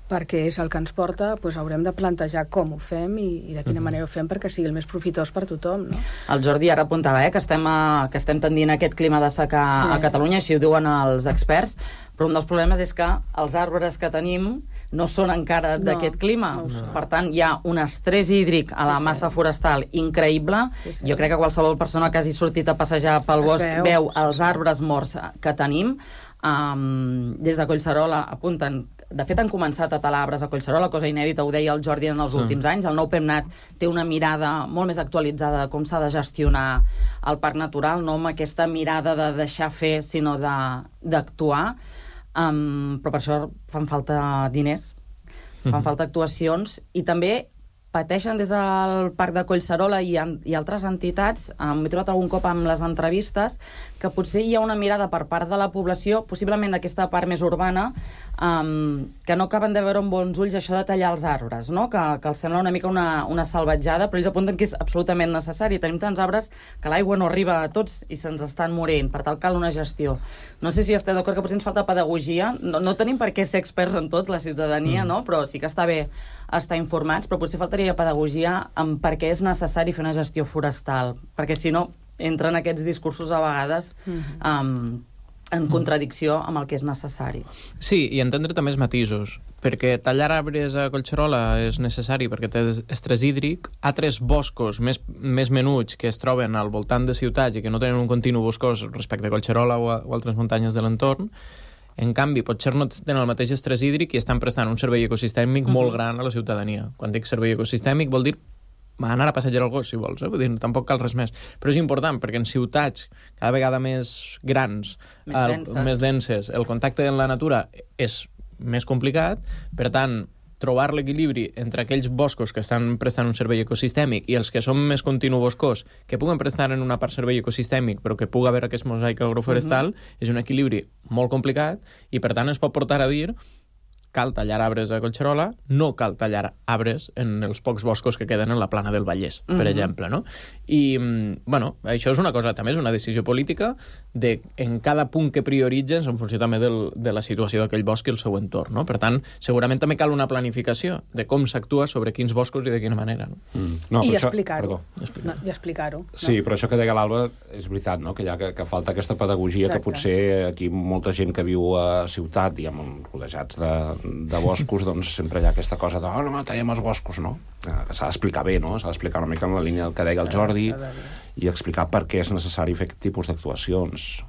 perquè és el que ens porta, doncs haurem de plantejar com ho fem i, i de quina mm-hmm. manera ho fem perquè sigui el més profitós per tothom, no? El Jordi ara apuntava eh, que, estem a, que estem tendint a aquest clima de secà sí. a Catalunya, així ho diuen els experts, però un dels problemes és que els arbres que tenim no són encara no, d'aquest clima. No per tant, hi ha un estrès hídric a la sí, massa sí. forestal increïble. Sí, sí. Jo crec que qualsevol persona que hagi sortit a passejar pel es bosc veu, veu els arbres morts que tenim. Um, des de Collserola apunten. De fet, han començat a talar arbres a Collserola, cosa inèdita, ho deia el Jordi en els sí. últims anys. El nou PEMNAT té una mirada molt més actualitzada de com s'ha de gestionar el parc natural, no amb aquesta mirada de deixar fer, sinó d'actuar. Um, però per això fan falta diners, fan mm-hmm. falta actuacions, i també pateixen des del Parc de Collserola i, i altres entitats, m'he trobat algun cop amb les entrevistes, que potser hi ha una mirada per part de la població, possiblement d'aquesta part més urbana, um, que no acaben de veure amb bons ulls això de tallar els arbres, no? que, que els sembla una mica una, una salvatjada, però ells apunten que és absolutament necessari. Tenim tants arbres que l'aigua no arriba a tots i se'ns estan morint, per tant cal una gestió. No sé si esteu d'acord que potser ens falta pedagogia, no, no tenim per què ser experts en tot, la ciutadania, mm. no? Però sí que està bé estar informats, però potser faltaria pedagogia en per què és necessari fer una gestió forestal, perquè si no entren aquests discursos a vegades mm-hmm. um, en contradicció amb el que és necessari. Sí, i entendre també els matisos, perquè tallar arbres a Collserola és necessari perquè té estrès hídric, altres boscos més, més menuts que es troben al voltant de ciutats i que no tenen un continu boscós respecte a Collserola o, a, o altres muntanyes de l'entorn, en canvi, potser no tenen el mateix estrès hídric i estan prestant un servei ecosistèmic uh-huh. molt gran a la ciutadania. Quan dic servei ecosistèmic vol dir anar a passejar el gos, si vols, eh? Vull dir, tampoc cal res més. Però és important, perquè en ciutats cada vegada més grans, més, el, denses. més denses, el contacte amb la natura és més complicat, per tant, trobar l'equilibri entre aquells boscos que estan prestant un servei ecosistèmic i els que són més continu boscós, que puguen prestar en una part servei ecosistèmic, però que pugui haver aquest mosaic agroforestal, uh-huh. és un equilibri molt complicat i, per tant, es pot portar a dir cal tallar arbres a Collserola, no cal tallar arbres en els pocs boscos que queden en la plana del Vallès, per Mhm. exemple, no? I, bueno, això és una cosa, també és una decisió política de en cada punt que prioritzes en funció també del, de la situació d'aquell bosc i el seu entorn, no? Per tant, segurament també cal una planificació de com s'actua sobre quins boscos i de quina manera, no? Mm. No, I però això- explicar-ho. perdó. No, I explicar-ho. Sí, però això que deia l'Alba és veritat, no? Que, hi ha, que, que falta aquesta pedagogia. Exacte. Que potser aquí molta gent que viu a ciutat, diguem, rodejats de, de boscos, doncs sempre hi ha aquesta cosa de oh, no, tallem els boscos, no? Eh, S'ha d'explicar bé, no? S'ha d'explicar una mica en la línia del que deia el Jordi i explicar per què és necessari fer aquest tipus d'actuacions.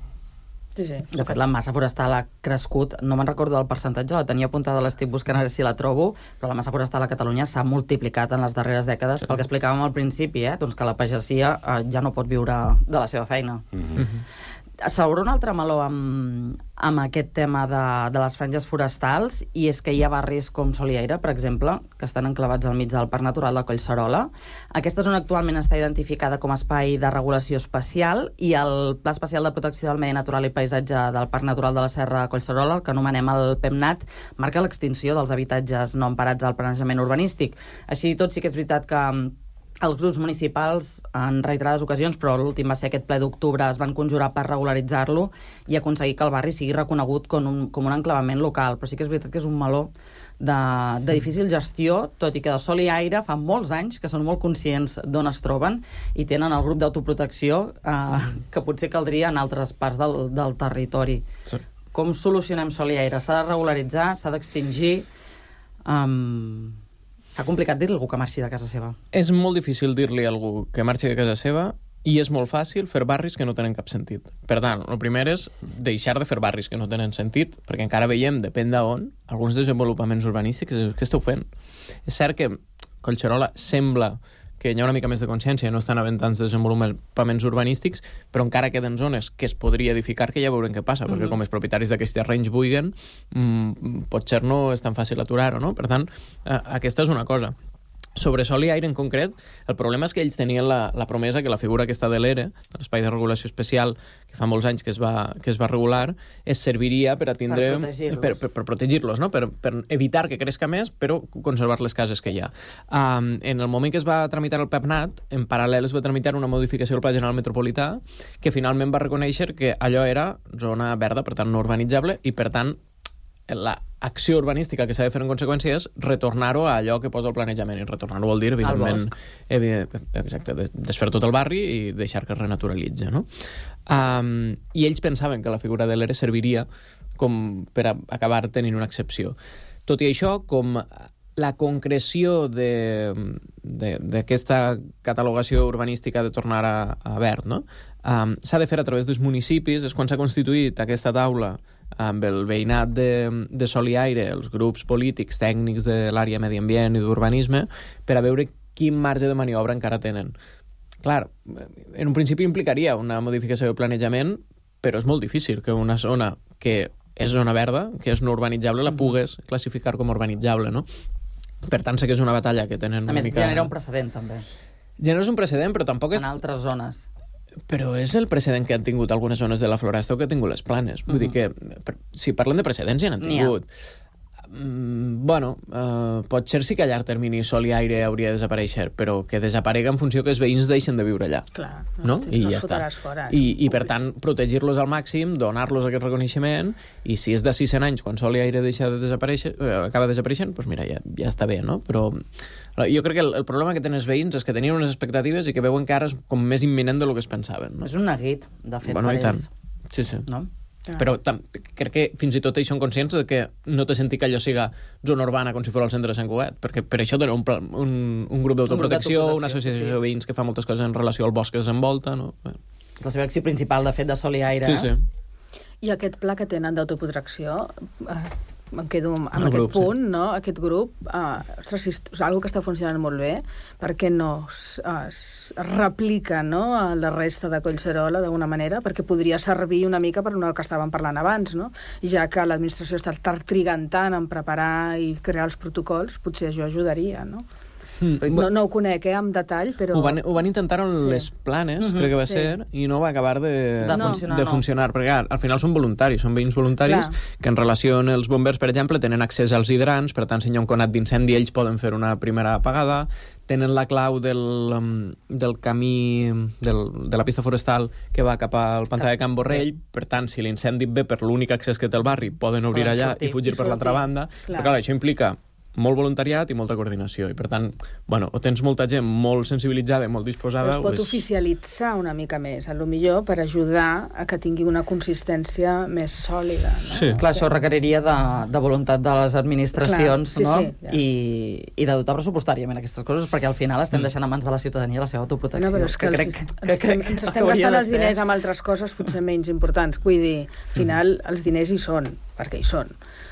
Sí, sí. De fet, la massa forestal ha crescut, no me'n recordo del percentatge, la tenia apuntada, l'estic buscant a veure si la trobo, però la massa forestal a Catalunya s'ha multiplicat en les darreres dècades, sí. pel que explicàvem al principi, eh? Doncs que la pagesia eh, ja no pot viure de la seva feina. Mm-hmm. S'obre un altre meló amb, amb aquest tema de, de les franges forestals, i és que hi ha barris com Soliaire, per exemple, que estan enclavats al mig del Parc Natural de Collserola. Aquesta zona actualment està identificada com a espai de regulació especial, i el Pla Especial de Protecció del Medi Natural i Paisatge del Parc Natural de la Serra de Collserola, el que anomenem el PEMNAT, marca l'extinció dels habitatges no emparats al planejament urbanístic. Així i tot, sí que és veritat que els grups municipals, en reiterades ocasions, però l'últim va ser aquest ple d'octubre, es van conjurar per regularitzar-lo i aconseguir que el barri sigui reconegut com un, com un enclavament local. Però sí que és veritat que és un meló de, de difícil gestió, tot i que de Sol i Aire fa molts anys que són molt conscients d'on es troben i tenen el grup d'autoprotecció eh, que potser caldria en altres parts del, del territori. Sí. Com solucionem Sol i Aire? S'ha de regularitzar? S'ha d'extingir? Um... Està complicat dir-li a algú que marxi de casa seva. És molt difícil dir-li a algú que marxi de casa seva i és molt fàcil fer barris que no tenen cap sentit. Per tant, el primer és deixar de fer barris que no tenen sentit, perquè encara veiem, depèn d'on, alguns desenvolupaments urbanístics que esteu fent. És cert que Collserola sembla que hi ha una mica més de consciència, no estan havent tants desenvolupaments urbanístics, però encara queden zones que es podria edificar, que ja veurem què passa, perquè Mhm. com els propietaris d'aquests terrenys vulguin, mmm, potser no és tan fàcil aturar-ho, no? Per tant, eh, aquesta és una cosa. Sobre Sol i Aire en concret, el problema és que ells tenien la, la promesa que la figura aquesta de l'E R E, l'Espai de Regulació Especial, que fa molts anys que es va, que es va regular, es serviria per a tindre... Per protegir-los. Per, per, per protegir-los, no? Per, per evitar que crezca més, però conservar les cases que hi ha. Um, en el moment que es va tramitar el PEMNAT, en paral·lel es va tramitar una modificació del Pla General Metropolità, que finalment va reconèixer que allò era zona verda, per tant no urbanitzable, i per tant l'acció urbanística que s'ha de fer en conseqüència és retornar-ho a allò que posa el planejament, i retornar-ho vol dir, evidentment, evident, exacte, desfer tot el barri i deixar que es renaturalitzi, no? Um, I ells pensaven que la figura de l'E R E serviria com per a acabar tenint una excepció. Tot i això, com la concreció d'aquesta catalogació urbanística de tornar a, a verd, no? Um, s'ha de fer a través dels municipis, és quan s'ha constituït aquesta taula amb el veïnat de, de Sol i Aire, els grups polítics, tècnics de l'àrea medi ambient i d'urbanisme, per a veure quin marge de maniobra encara tenen. Clar, en un principi implicaria una modificació de planejament, però és molt difícil que una zona que és zona verda, que és no urbanitzable, la pugues classificar com urbanitzable, no? Per tant, sé que és una batalla que tenen A una més, mica... genera un precedent, també. Genera un precedent, però tampoc és... En altres zones. Però és el precedent que han tingut algunes zones de la Floresta o que han tingut les Planes. Vull Uh-huh. dir que, per, si parlem de precedents, ja n'han N'hi ha. tingut. Mm, bueno, uh, potser sí que a llarg termini Sol i Aire hauria de desaparèixer, però que desaparega en funció que els veïns deixen de viure allà. Clar, no? hosti, I no ja els està. fotràs fora, I, I per tant, protegir-los al màxim, donar-los aquest reconeixement, i si és de sis-cents anys, quan Sol i Aire deixa de desaparèixer, eh, acaba desapareixent, doncs mira, ja, ja està bé, no? Però jo crec que el, el problema que tenen els veïns és que tenien unes expectatives i que veuen que ara és com més imminent del que es pensaven. No? És un neguit, de fet, Bueno, per i tant. ells. Sí, sí. No? Però tam, crec que fins i tot ells són conscients de que no té sentit que allò siga zona urbana com si fos el centre de Sant Cugat, perquè per això tenen un, pla- un, un grup d'autoprotecció, una associació sí. de veïns que fa moltes coses en relació al bosc que desenvolta, no? És la seva acció principal, de fet, de Sol i Aire. Sí, sí. I aquest pla que tenen d'autoprotecció, eh, em quedo amb El aquest grup, sí. punt, no? Aquest grup, eh, ostres, si és algo que està funcionant molt bé, per què no es, es replica, no?, a la resta de Collserola d'alguna manera, perquè podria servir una mica per una que estàvem parlant abans, no? Ja que l'administració està trigant tant en preparar i crear els protocols, potser això ajudaria, no? Mm. No, no ho conec, eh, amb detall, però... Ho van, ho van intentar en sí. les Planes, uh-huh. crec que va sí. ser, i no va acabar de, de, no. funcionar, de funcionar, no. perquè al final són voluntaris, són veïns voluntaris, clar. Que en relació amb els bombers, per exemple, tenen accés als hidrants, per tant, si hi ha un conat d'incendi, ells poden fer una primera apagada, tenen la clau del, del camí del, de la pista forestal que va cap al pantà de Can Borrell, sí. per tant, si l'incendi ve per l'únic accés que té el barri, poden obrir allà sortir, i fugir i per l'altra banda, clar. Però clar, això implica molt voluntariat i molta coordinació, i per tant, bueno, o tens molta gent molt sensibilitzada i molt disposada... Però es pot és... oficialitzar una mica més, a lo millor per ajudar a que tingui una consistència més sòlida, no? Sí. Clar, això requeriria de, de voluntat de les administracions, clar, sí, no? Sí, ja. I, i de dotar pressupostàriament aquestes coses, perquè al final estem deixant a mans de la ciutadania la seva autoprotecció. No, però és que, que, crec, crec, ens, que crec ens estem gastant els diners amb altres coses potser menys importants. Vull dir, al final els diners hi són, perquè hi són.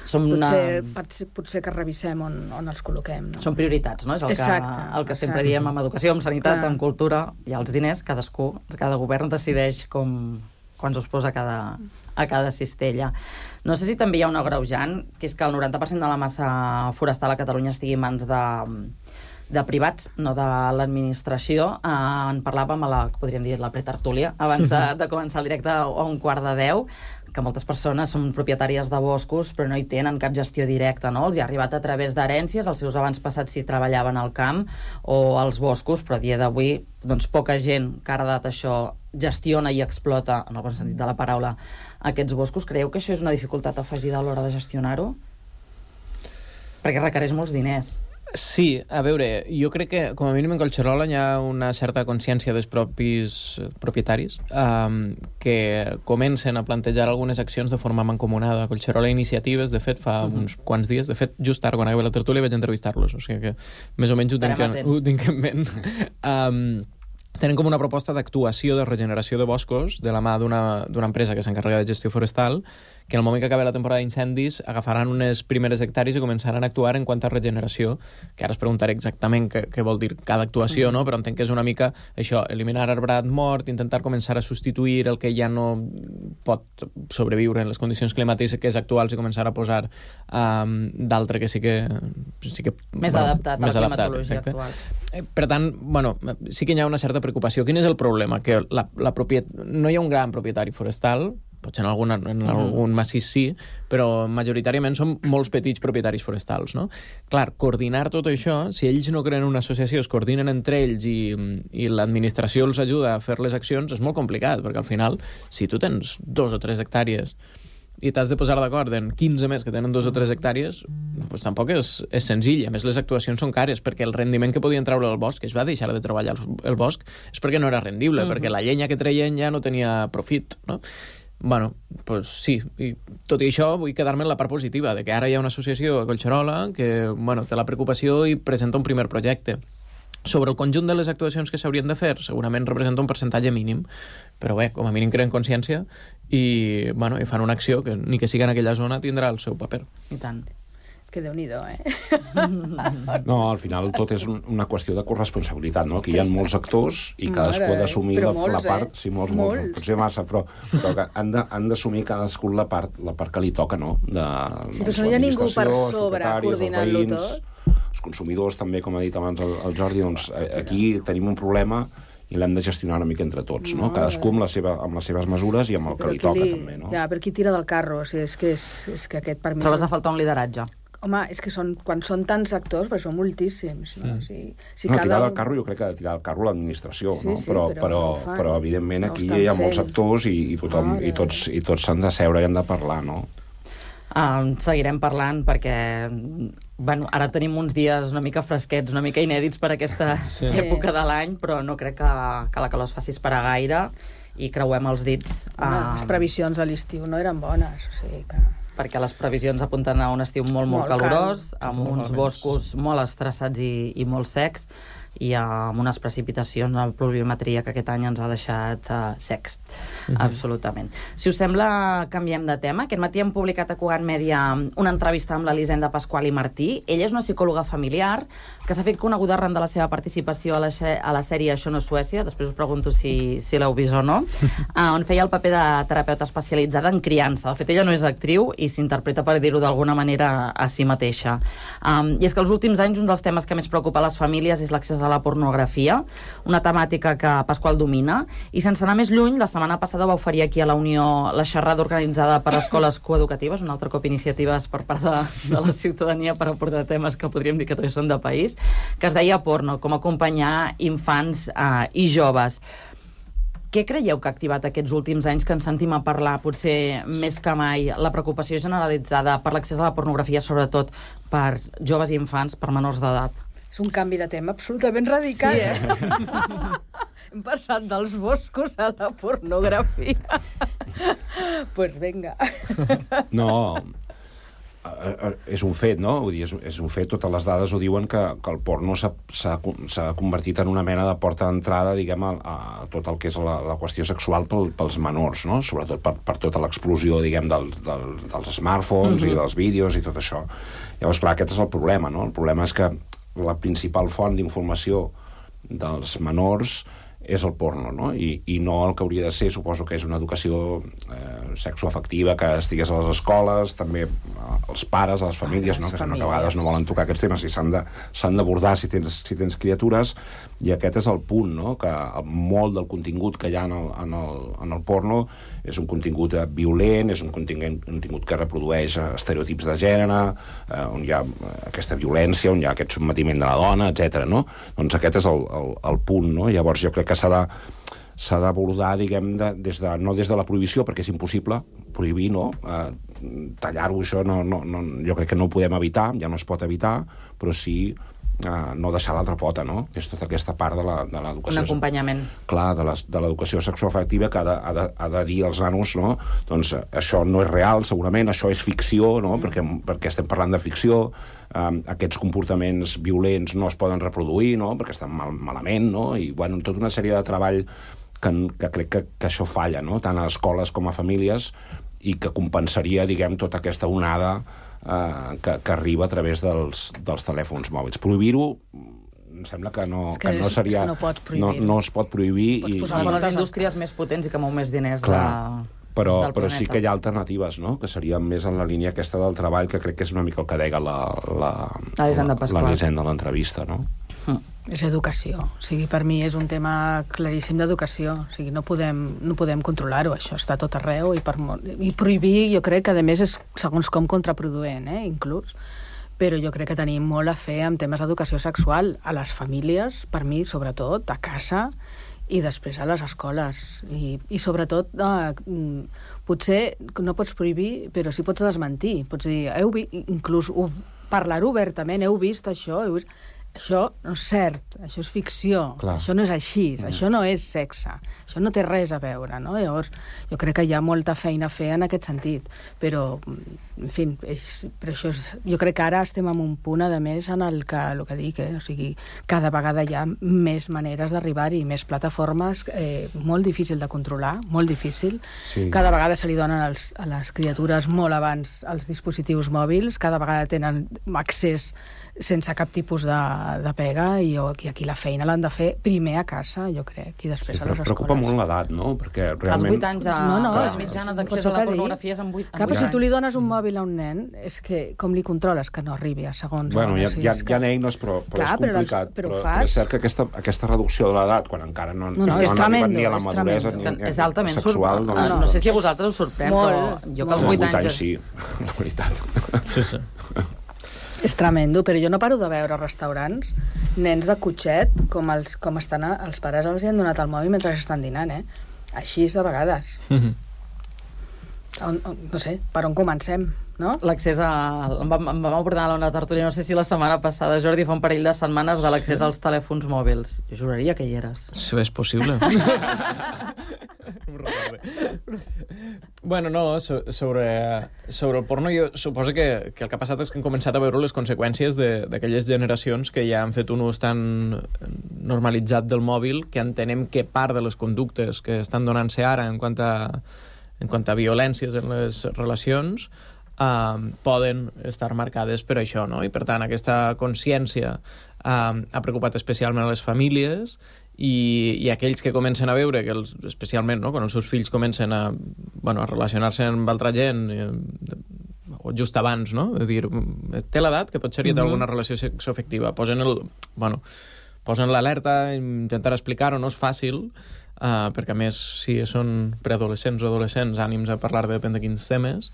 Som potser, una... potser, potser que revisem on, on els col·loquem. No? Són prioritats, no? És el exacte, que, el que exacte. sempre diem en educació, en sanitat, clar. En cultura, i els diners, cadascú, cada govern decideix com, quants us posa a cada, a cada cistella. No sé si també hi ha un agreujant, que és que el noranta per cent de la massa forestal a Catalunya estigui en mans de, de privats, no de l'administració. Eh, en parlàvem a la, podríem dir, la pretertúlia, abans de, de començar el directe a un quart de deu, que moltes persones són propietàries de boscos però no hi tenen cap gestió directa, no? Els hi ha arribat a través d'herències, els seus abans passats si treballaven al camp o als boscos, però a dia d'avui doncs poca gent que ha heredat això gestiona i explota, en el bon sentit de la paraula, aquests boscos. Creieu que això és una dificultat afegida a l'hora de gestionar-ho? Perquè requereix molts diners. Sí, a veure, jo crec que com a mínim en Collserola hi ha una certa consciència dels propis propietaris um, que comencen a plantejar algunes accions de forma mancomunada. A Collserola Iniciatives, de fet, fa uh-huh. uns quants dies, de fet, just ara, quan acabé la tertúlia, vaig entrevistar-los, o sigui que més o menys ho tinc, en, ho tinc en ment. um, tenen com una proposta d'actuació de regeneració de boscos de la mà d'una empresa que s'encarrega de gestió forestal, que en el moment que acabi la temporada d'incendis agafaran unes primeres hectàrees i començaran a actuar en quant a regeneració, que ara es preguntaré exactament què, què vol dir cada actuació, no? Però entenc que és una mica això, eliminar arbrat mort, intentar començar a substituir el que ja no pot sobreviure en les condicions climàtiques actuals i començar a posar um, d'altre que sí que... Sí que més bueno, adaptat més a la climatologia actual. Per tant, bueno, sí que hi ha una certa preocupació. Quin és el problema? Que la, la propiet... no hi ha un gran propietari forestal, potser en algun, en algun massís sí, però majoritàriament són molts petits propietaris forestals, no? Clar, coordinar tot això, si ells no creen una associació, es coordinen entre ells i, i l'administració els ajuda a fer les accions, és molt complicat, perquè al final, si tu tens dos o tres hectàrees i t'has de posar d'acord en quinze més que tenen dos o tres hectàrees, doncs tampoc és, és senzill. A més, les actuacions són cares, perquè el rendiment que podien treure el bosc, que es va deixar de treballar el, el bosc, és perquè no era rendible, uh-huh. perquè la llenya que treien ja no tenia profit, no? Bueno, pues sí, i tot i això vull quedar-me en la part positiva, de que ara hi ha una associació a Collserola que, bueno, té la preocupació i presenta un primer projecte. Sobre el conjunt de les actuacions que s'haurien de fer, segurament representa un percentatge mínim, però bé, com a mínim creen consciència i, bueno, i fan una acció que, ni que sigui en aquella zona, tindrà el seu paper. I tant. Que Déu-n'hi-do, eh? No, al final tot és una qüestió de corresponsabilitat, no? Aquí hi ha molts actors i cadascú ha d'assumir la, la part... Eh? Sí, molts, molts, molts, potser massa, però, però que han d'assumir cadascú la part, la part que li toca, no? De, sí, però no hi ha ningú per sobre coordinant-lo tot. Els consumidors, també, com ha dit abans el, el Jordi, doncs aquí tenim un problema i l'hem de gestionar una mica entre tots, no? no Cadascú amb, la seva, amb les seves mesures i amb el sí, que li toca, li... també, no? Ja, però qui tira del carro? O sigui, és que, és, és que aquest per mi... Trobes a faltar un lideratge. Home, és que són, quan són tants actors, perquè són moltíssims, no? Mm. Si, si no, cada... tirar del carro, jo crec que ha de tirar del carro l'administració, sí, no? Sí, però, però, però, no però evidentment, no aquí hi ha molts fent. actors i, i, tothom, ah, i tots i tots s'han de seure i han de parlar, no? Uh, seguirem parlant perquè bueno, ara tenim uns dies una mica fresquets, una mica inèdits per aquesta sí. època de l'any, però no crec que, que la calor es faci esperar gaire i creuem els dits. Uh... Les previsions a l'estiu no eren bones, o sigui que... perquè les previsions apunten a un estiu molt, molt, molt calorós, cal. amb molt uns boscos molt estressats i, i molt secs, i amb unes precipitacions, una pluviometria que aquest any ens ha deixat uh, secs. Absolutament. Si us sembla, canviem de tema. Aquest matí hem publicat a Cugat Mèdia una entrevista amb l'Elisenda Pasqual i Martí. Ella és una psicòloga familiar que s'ha fet coneguda arran de la seva participació a la, a la sèrie Això no és Suècia, després us pregunto si, si l'heu vist o no, uh, on feia el paper de terapeuta especialitzada en criança. De fet, ella no és actriu i s'interpreta, per dir-ho d'alguna manera, a si mateixa. Um, I és que els últims anys un dels temes que més preocupa a les famílies és l'accés a la pornografia, una temàtica que Pasqual domina, i sense anar més lluny, la setmana passada va oferir aquí a la Unió la xerrada organitzada per escoles coeducatives, un altre cop iniciatives per part de, de la ciutadania per aportar temes que podríem dir que també són de país, que es deia Porno, com acompanyar infants eh, i joves. Què creieu que ha activat aquests últims anys que ens sentim a parlar, potser més que mai, la preocupació generalitzada per l'accés a la pornografia, sobretot per joves i infants, per menors d'edat? És un canvi de tema absolutament radical. Sí, eh? Hem passat dels boscos a la pornografia. Doncs pues vinga. No, és un fet, no? Vull dir, és, és un fet, totes les dades ho diuen, que, que el porno s'ha convertit en una mena de porta d'entrada, diguem, a, a tot el que és la, la qüestió sexual pel, pels menors, no? Sobretot per, per tota l'explosió, diguem, dels, dels, dels smartphones mm-hmm. i dels vídeos i tot això. Llavors, clar, aquest és el problema, no? El problema és que la principal font d'informació dels menors és el porno, no? I, i no el que hauria de ser, suposo que és una educació eh, sexoafectiva que estigués a les escoles, també als pares, a les famílies, ah, no? Que sembla que a vegades no volen tocar aquests temes i s'han d'abordar si tens, si tens criatures, i aquest és el punt, no? Que molt del contingut que hi ha en el, en el, en el porno és un contingut violent, és un contingut, un contingut que reprodueix estereotips de gènere, eh, on hi ha aquesta violència, on hi ha aquest sotmetiment de la dona, etcètera, no? Doncs aquest és el, el, el punt, no? Llavors jo crec que s'ha de s'ha d'abordar, diguem, de, des de, no des de la prohibició, perquè és impossible prohibir, no? Eh, tallar-ho, això no, no, no, jo crec que no ho podem evitar, ja no es pot evitar, però sí Uh, no deixar l'altra pota, no? És tota aquesta part de l'educació. Un acompanyament. Clar, de l'educació sexoafectiva que ha de, ha, de, ha de dir als nanos, no? Doncs uh, això no és real, segurament, això és ficció, no? Mm. Perquè, perquè estem parlant de ficció, um, aquests comportaments violents no es poden reproduir, no? Perquè estan mal, malament, no? I, bueno, tota una sèrie de treball que, que crec que, que això falla, no? Tant a escoles com a famílies, i que compensaria, diguem, tota aquesta onada Uh, que, que arriba a través dels, dels telèfons mòbils. Prohibir-ho em sembla que no, que que no seria... Que no, pots no, no es pot prohibir. Pots posar i, i... les indústries més potents i que mou més diners. Clar, de, però, del però planeta. sí que hi ha alternatives, no? Que serien més en la línia aquesta del treball, que crec que és una mica el que deia la, la, l'Elisenda Pasqual. L'Elisenda de l'entrevista, no? Mm. És educació. O sigui, per mi és un tema claríssim d'educació. O sigui, no podem, no podem controlar-ho, això està tot arreu, i, per, i prohibir, jo crec que a més és segons com contraproduent, eh, inclús. Però jo crec que tenim molt a fer amb temes d'educació sexual a les famílies, per mi, sobretot, a casa, i després a les escoles. I, i sobretot, eh, potser no pots prohibir, però sí pots desmentir. Pots dir, heu vist, inclús parlar-ho obertament, heu vist això, heu vist... Això no és cert, això és ficció, clar. Això no és així, mm. això no és sexe, això no té res a veure, no? Llavors, jo crec que hi ha molta feina a fer en aquest sentit, però, en fi, és, però això és, jo crec que ara estem en un punt, a més, en el que, el que dic, eh? O sigui, cada vegada hi ha més maneres d'arribar-hi, més plataformes, eh, molt difícil de controlar, molt difícil. Sí. Cada vegada se li donen als, a les criatures molt abans els dispositius mòbils, cada vegada tenen accés sense cap tipus de, de pega, i, jo, i aquí la feina l'han de fer primer a casa, jo crec, i després sí, a les escoles. Preocupa molt l'edat, no? Perquè realment... Els vuit anys a... No, no, la és, mitjana d'accés a la pornografia és amb vuit, clar, però si tu li dones un mòbil a un nen, és que com li controles que no arribi a segons... Bueno, hi ha, hi ha, hi ha eines, però, però clar, és complicat. Però, però, però, però és cert que aquesta, aquesta reducció de l'edat, quan encara no, no, no, no han arribat ni a la maduresa ni, ni és altament sexual... Sur... No, no, no sé si a vosaltres us sorprèn, molt, però jo que als vuit anys... sí, la veritat. Sí, sí. És tremendo, però jo no paro de veure restaurants, nens de cotxet, com, els, com estan a, els pares els hi han donat el mòbil mentre estan dinant, eh? Així de vegades. Mm-hmm. on, on, no sé, per on comencem, no? L'accés a... Em vam, em vam abordar a l'Ona Tertúlia, no sé si la setmana passada, Jordi, fa un parell de setmanes, de l'accés als telèfons mòbils. Jo juraria que hi eres. Si és possible. Bueno, no, so, sobre, sobre el porno jo suposo que, que el que ha passat és que hem començat a veure les conseqüències d'aquelles generacions que ja han fet un ús tan normalitzat del mòbil que entenem que part de les conductes que estan donant-se ara en quant a, en quant a violències en les relacions uh, poden estar marcades per això, no? I per tant aquesta consciència uh, ha preocupat especialment a les famílies i, i aquells que comencen a veure que els, especialment no, quan els seus fills comencen a, bueno, a relacionar-se amb altra gent eh, o just abans, no? És dir, té l'edat que potser hi ha alguna relació sexoafectiva, posen el, bueno, posen l'alerta, intentar explicar-ho no és fàcil, uh, perquè a més si són preadolescents o adolescents ànims a parlar de depèn de quins temes.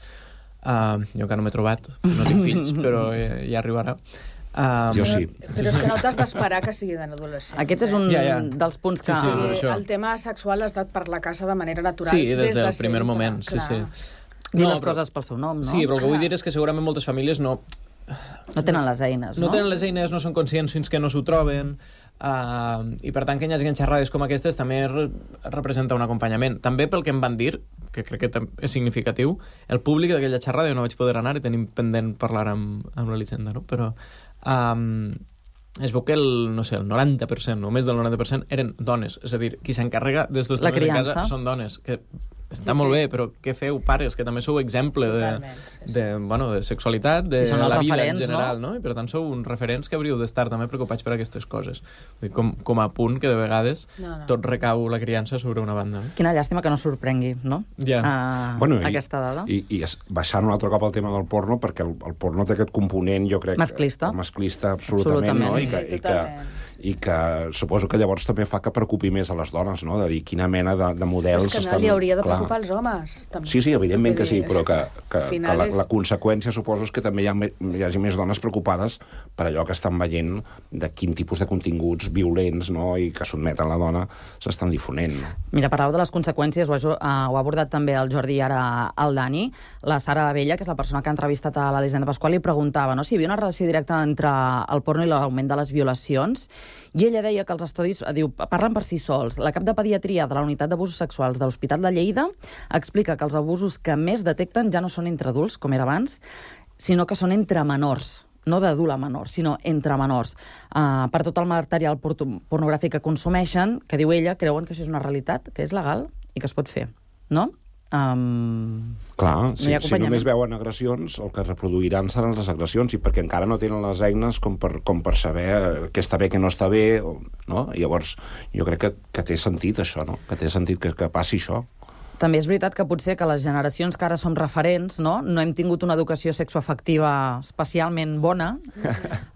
Uh, jo encara no m'he trobat, no tinc fills, però ja, ja arribarà. Um, jo sí. Però és que no t'has d'esperar que siguin adolescents. Aquest és un ja, ja. dels punts que... Sí, sí, sí, el tema sexual ha estat per la casa de manera natural. Sí, des, des del de primer sempre, moment, sí, clar. sí. Dir no, les però, coses pel seu nom, no? Sí, però el que vull dir és que segurament moltes famílies no... No tenen les eines, no? No tenen les eines, no són conscients fins que no s'ho troben, uh, i per tant que hi hagi xerrades com aquestes també re representa un acompanyament. També pel que em van dir, que crec que és significatiu, el públic d'aquella xerrada jo no vaig poder anar i tenim pendent parlar amb, amb l'Elisenda, no? Però um, es veu que el, no sé, el noranta per cent o més del noranta per cent eren dones, és a dir, qui s'encarrega des dels temes de casa són dones, que està sí, molt sí. bé, però què feu, pares, que també sou exemple de, sí, de, bueno, de sexualitat, de la vida en general, no? no? I per tant sou uns referents que hauríeu d'estar també preocupats per aquestes coses. Vull dir, com, com a punt que de vegades no, no. tot recau la criança sobre una banda. No? Quina llàstima que no sorprengui, no? Ja. Uh, bueno, aquesta dada. I, i, i baixant un altre cop al tema del porno, perquè el, el porno té aquest component, jo crec... Masclista. Masclista, absolutament, absolutament. No? I que, i que, i que suposo que llavors també fa que preocupi més a les dones, no? De dir quina mena de, de models... És que no estan... li hauria de preocupar als homes. També. Sí, sí, evidentment que sí, però que, que, que la, és... la conseqüència suposo és que també hi, ha, hi hagi més dones preocupades per allò que estan veient de quin tipus de continguts violents, no?, i que sotmeten la dona s'estan difonent. No? Mira, parlau de les conseqüències, ho ha, uh, ho ha abordat també el Jordi i ara el Dani. La Sara Abella, que és la persona que ha entrevistat a l'Elisenda Pasqual, li preguntava, no?, si hi havia una relació directa entre el porno i l'augment de les violacions. I ella deia que els estudis, diu, parlen per si sols. La cap de pediatria de la unitat d'abusos sexuals de l'Hospital de Lleida explica que els abusos que més detecten ja no són entre adults, com era abans, sinó que són entre menors. No d'adult a menor, sinó entre menors. Uh, per tot el material pornogràfic que consumeixen, que diu ella, creuen que això és una realitat, que és legal i que es pot fer, no? Um, Clar, no si, si només veuen agressions, el que reproduiran seran les agressions, i perquè encara no tenen les eines com per, com per saber què està bé, què no està bé, no? I llavors jo crec que, que té sentit això, no? Que té sentit que, que passi això. També és veritat que potser que les generacions que ara som referents, no, no hem tingut una educació sexoafectiva especialment bona.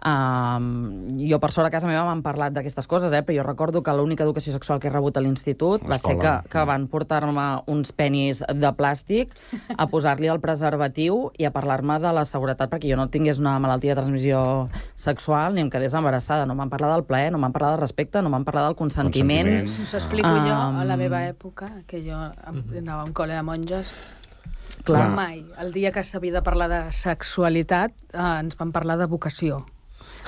um, jo, per sort, a casa meva m'han parlat d'aquestes coses, eh, però jo recordo que l'única educació sexual que he rebut a l'institut va ser que, que van portar-me uns penis de plàstic a posar-li el preservatiu i a parlar-me de la seguretat perquè jo no tingués una malaltia de transmissió sexual ni em quedés embarassada. No m'han parlat del plaer, no m'han parlat del respecte, no m'han parlat del consentiment. consentiment. Us explico um, jo, a la meva època, que jo anava a un col·le de monges. Clar. Mai. El dia que s'havia de parlar de sexualitat eh, ens van parlar de vocació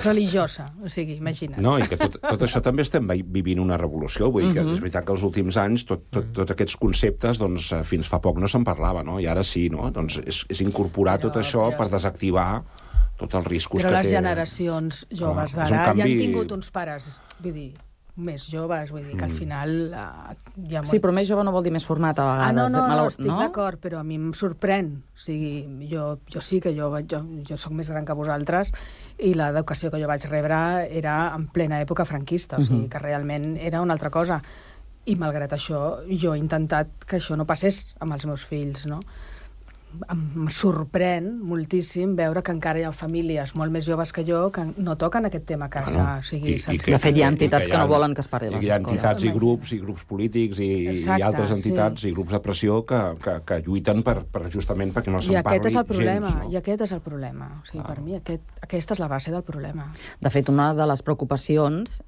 religiosa, o sigui, imagina't. No, i que tot, tot això també estem vivint una revolució, vull dir que és veritat que els últims anys tot, tot, tots aquests conceptes, doncs, fins fa poc no se'n parlava, no? I ara sí, no? Doncs és, és incorporar però, tot això però... per desactivar tots els riscos però que té... Però les generacions joves d'ara canvi... ja han tingut uns pares, vull dir, més joves, vull dir que al final... Uh, hi ha molt... Sí, però més jove no vol dir més format, a vegades. Ah, no, no, Malau... no estic no? d'acord, però a mi em sorprèn. O sigui, jo, jo sí que jo, jo, jo soc més gran que vosaltres i l'educació que jo vaig rebre era en plena època franquista, o sigui, que realment era una altra cosa. I malgrat això, jo he intentat que això no passés amb els meus fills, no? Em sorprèn moltíssim veure que encara hi ha famílies molt més joves que jo que no toquen aquest tema a casa. Bueno, o sigui, i, i que, de fet, hi ha entitats que, que, ha, que no volen que es parli a les escoles. Hi ha entitats i grups, i grups polítics, i, Exacte, i altres entitats, sí. i grups de pressió que, que, que lluiten per, per justament perquè no se'n parli gens. I aquest és el problema, gens, no? i aquest és el problema. O sigui, ah. per mi aquest, aquesta és la base del problema. De fet, una de les preocupacions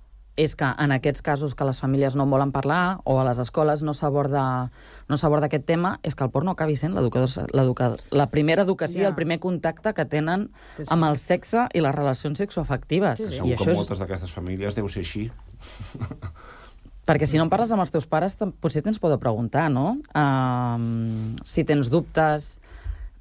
és que en aquests casos que les famílies no en volen parlar o a les escoles no s'aborda no s'aborda aquest tema, és que el porno acabi sent la primera educació, ja. el primer contacte que tenen sí, sí. amb el sexe i les relacions sexoafectives. Sí, sí. I això que és... moltes d'aquestes famílies deu ser així. Perquè si no en parles amb els teus pares, potser tens por de preguntar, no? Uh, si tens dubtes...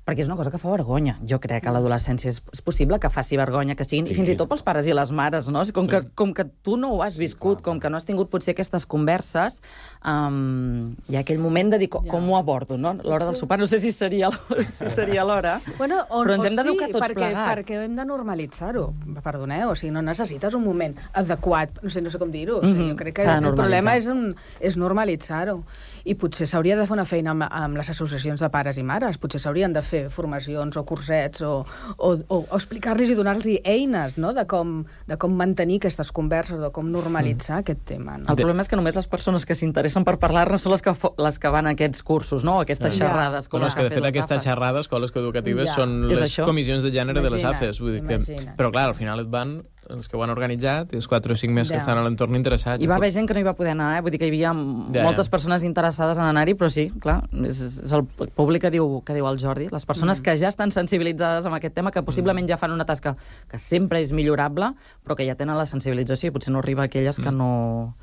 Perquè és una cosa que fa vergonya. Jo crec que a l'adolescència és, és possible que faci vergonya, que siguin, sí. i fins i tot pels pares i les mares, no? Com, sí. que, com que tu no ho has viscut, sí, com que no has tingut potser aquestes converses, um, hi ha aquell moment de dir com, ja. com ho abordo, no? L'hora sí. del sopar, no sé si seria, si seria l'hora, bueno, o, però ens hem d'educar sí, tots perquè, plegats. Perquè hem de normalitzar-ho, perdoneu, o sigui, no necessites un moment adequat, no sé, no sé com dir-ho, mm -hmm. jo crec que el problema és, un, és normalitzar-ho, i potser s'hauria de fer una feina amb, amb les associacions de pares i mares, potser s'haurien de fer formacions o cursets o, o, o, o explicar-los i donar-los eines, no?, de com, de com mantenir aquestes converses, de com normalitzar mm. aquest tema. No? El problema és que només les persones que s'interessen per parlar-ne són les que, les que van a aquests cursos, no?, aquestes ja. xerrades. Com bueno, és que, de fet, aquestes xerrades, escoles coeducatives, ja. són és les això? comissions de gènere imagina, de les A F E S. Vull dir que... Però, clar, al final et van els que ho han organitzat i els quatre o cinc més ja. que estan a l'entorn interessats. Hi va haver gent que no hi va poder anar, eh? Vull dir que hi havia ja, moltes ja. persones interessades en anar-hi, però sí, clar, és, és el públic que diu, que diu el Jordi, les persones mm. que ja estan sensibilitzades amb aquest tema, que possiblement mm. ja fan una tasca que sempre és millorable, però que ja tenen la sensibilització i potser no arriba a aquelles mm. que, no,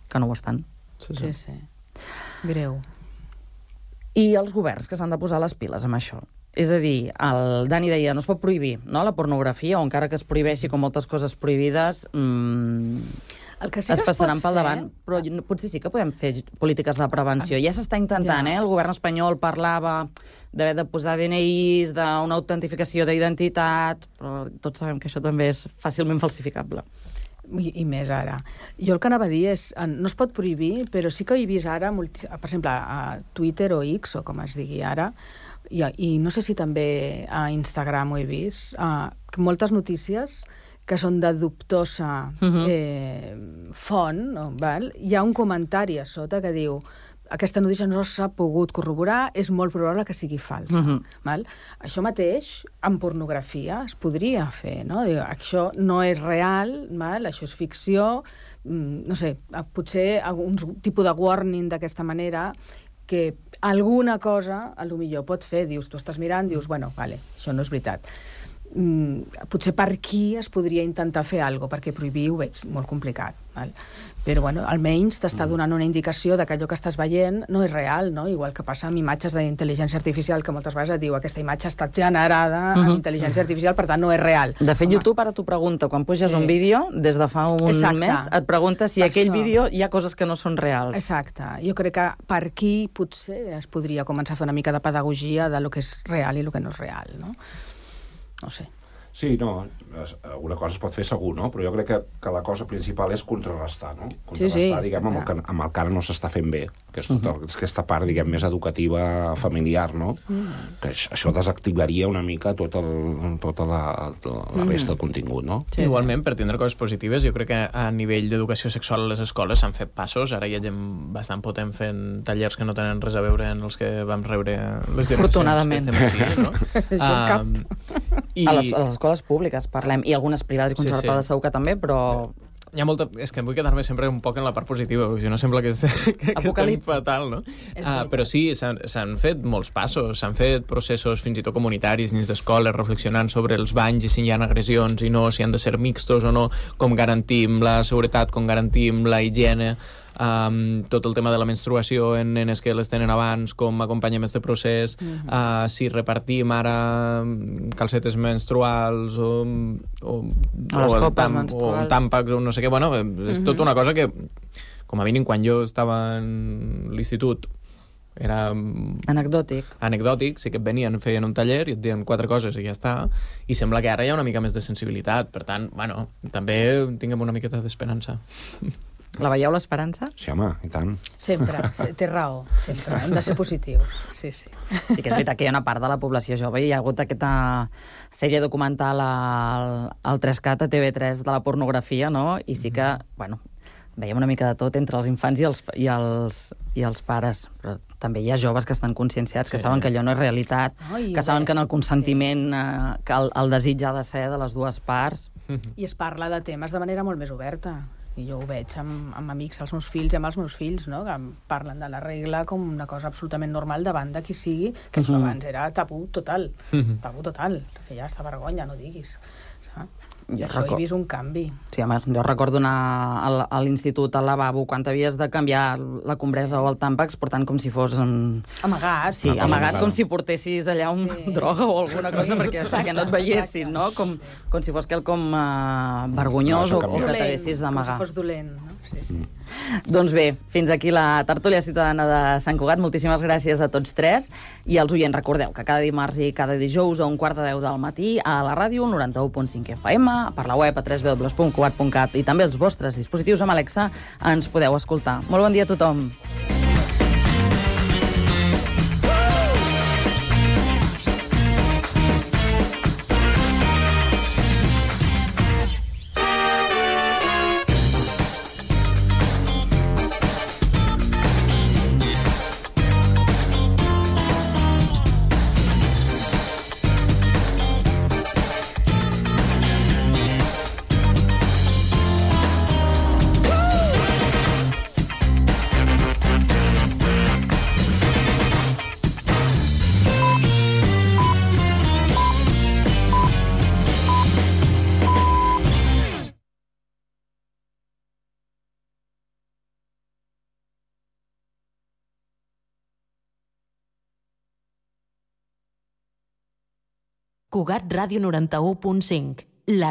que no ho estan. Sí, sí. sí, sí. Greu. I els governs que s'han de posar les piles amb això. És a dir, el Dani deia, no es pot prohibir, no?, la pornografia, o encara que es prohibeixi com moltes coses prohibides, mmm, el que sí es que passaran es pel fer... davant, però potser sí que podem fer polítiques de prevenció. Ja s'està intentant, ja. eh? El govern espanyol parlava d'haver de posar D N Is, d'una autentificació d'identitat, però tots sabem que això també és fàcilment falsificable. I, i més ara. Jo el que anava a dir és, no es pot prohibir, però sí que he vist ara, per exemple, a Twitter o X, o com es digui ara, i, i no sé si també a Instagram ho he vist, uh, moltes notícies que són de dubtosa uh-huh. eh, font, no? Val? Hi ha un comentari a sota que diu aquesta notícia no s'ha pogut corroborar, és molt probable que sigui falsa. Uh-huh. Val? Això mateix, en pornografia, es podria fer, no? Diu, això no és real, val? Això és ficció, no sé, potser algun tipus de warning d'aquesta manera, que alguna cosa, a lo millor pot fer, dius, tu estàs mirant, dius, bueno, vale, això no és veritat. Mm, potser per aquí es podria intentar fer alguna cosa, perquè prohibir ho veig molt complicat. Val? Però, bueno, almenys t'està donant una indicació de que allò que estàs veient no és real, no? Igual que passa amb imatges d'intel·ligència artificial, que moltes vegades et diu aquesta imatge ha estat generada uh-huh. amb intel·ligència artificial, per tant, no és real. De fet, Home. YouTube ara t'ho pregunta, quan puges sí. un vídeo, des de fa un Exacte. mes, et pregunta si per aquell això. vídeo hi ha coses que no són reals. Exacte. Jo crec que per aquí potser es podria començar a fer una mica de pedagogia de lo que és real i lo que no és real, no? No sé. Sí, no, alguna cosa es pot fer segur, no? Però jo crec que, que la cosa principal és contrarrestar, no? Contrarrestar, sí, sí, diguem, amb el, que, amb el que ara no s'està fent bé, que és tota uh-huh. aquesta part, diguem, més educativa, familiar, no? Uh-huh. Que això desactivaria una mica tot el, tota la, la resta del contingut, no? Sí, igualment, per tindre coses positives, jo crec que a nivell d'educació sexual a les escoles s'han fet passos, ara hi ha gent bastant potent fent tallers que no tenen res a veure en els que vam rebre les generacions que estem així, no? um, i... A les, a les escoles públiques parlem, i algunes privades i concertades sí, sí. segur que també, però... Hi ha molta... És que vull quedar-me sempre un poc en la part positiva, perquè si no sembla que, és... que, que estem fatal, no? Uh, però sí, s'han fet molts passos, s'han fet processos fins i tot comunitaris dins d'escoles, reflexionant sobre els banys i si hi ha agressions i no, si han de ser mixtos o no, com garantim la seguretat, com garantim la higiene... Um, tot el tema de la menstruació en nenes que les tenen abans, com acompanyem este procés, uh-huh. uh, si repartim ara calcetes menstruals o, o, o, o, tam, o tàmpacs o no sé què, bueno, és uh-huh. tota una cosa que, com a mínim, quan jo estava en l'institut era... Anecdòtic. Anecdòtic, sí que et venien, feien un taller i et deien quatre coses i ja està, i sembla que ara hi ha una mica més de sensibilitat, per tant, bueno, també tinguem una miqueta d'esperança. La veieu, l'esperança? Sí, home, i tant. Sempre, té raó, sempre. Hem de ser positius, sí, sí. Sí que és veritat que hi ha una part de la població jove i hi ha hagut aquesta sèrie documental al, al tres cat a T V tres de la pornografia, no? I sí que, bueno, veiem una mica de tot entre els infants i els, i els, i els pares, però també hi ha joves que estan conscienciats, que sí. saben que allò no és realitat, oh, que saben bé. que en el consentiment, sí. eh, que el, el desig ha de ser de les dues parts. I es parla de temes de manera molt més oberta. I jo ho veig amb, amb amics, els meus fills i amb els meus fills, no? Que parlen de la regla com una cosa absolutament normal davant de qui sigui, que això uh-huh. abans era tabú total, uh-huh. tabú total, feia aquesta vergonya, no diguis. I això he vist un canvi. Sí, home, jo recordo anar a l'institut, al lavabo, quan t'havies de canviar la compresa o el tàmpax, portant com si fos... En... Amagat. Sí, amagat, com si portessis allà una sí. droga o alguna cosa, sí, perquè, perquè no et veiessin, no? Com, com si fos quelcom uh, vergonyós no, o, o que t'haguessis d'amagar. Com si fos dolent, no? Sí, sí. Mm. Doncs bé, fins aquí la tertúlia ciutadana de Sant Cugat. Moltíssimes gràcies a tots tres. I als oients, recordeu que cada dimarts i cada dijous a un quart de deu del matí a la ràdio noranta-u punt cinc F M, per la web a w w w punt cugat punt cat i també els vostres dispositius amb Alexa ens podeu escoltar. Molt bon dia a tothom. Cugat Ràdio noranta-u punt cinc, la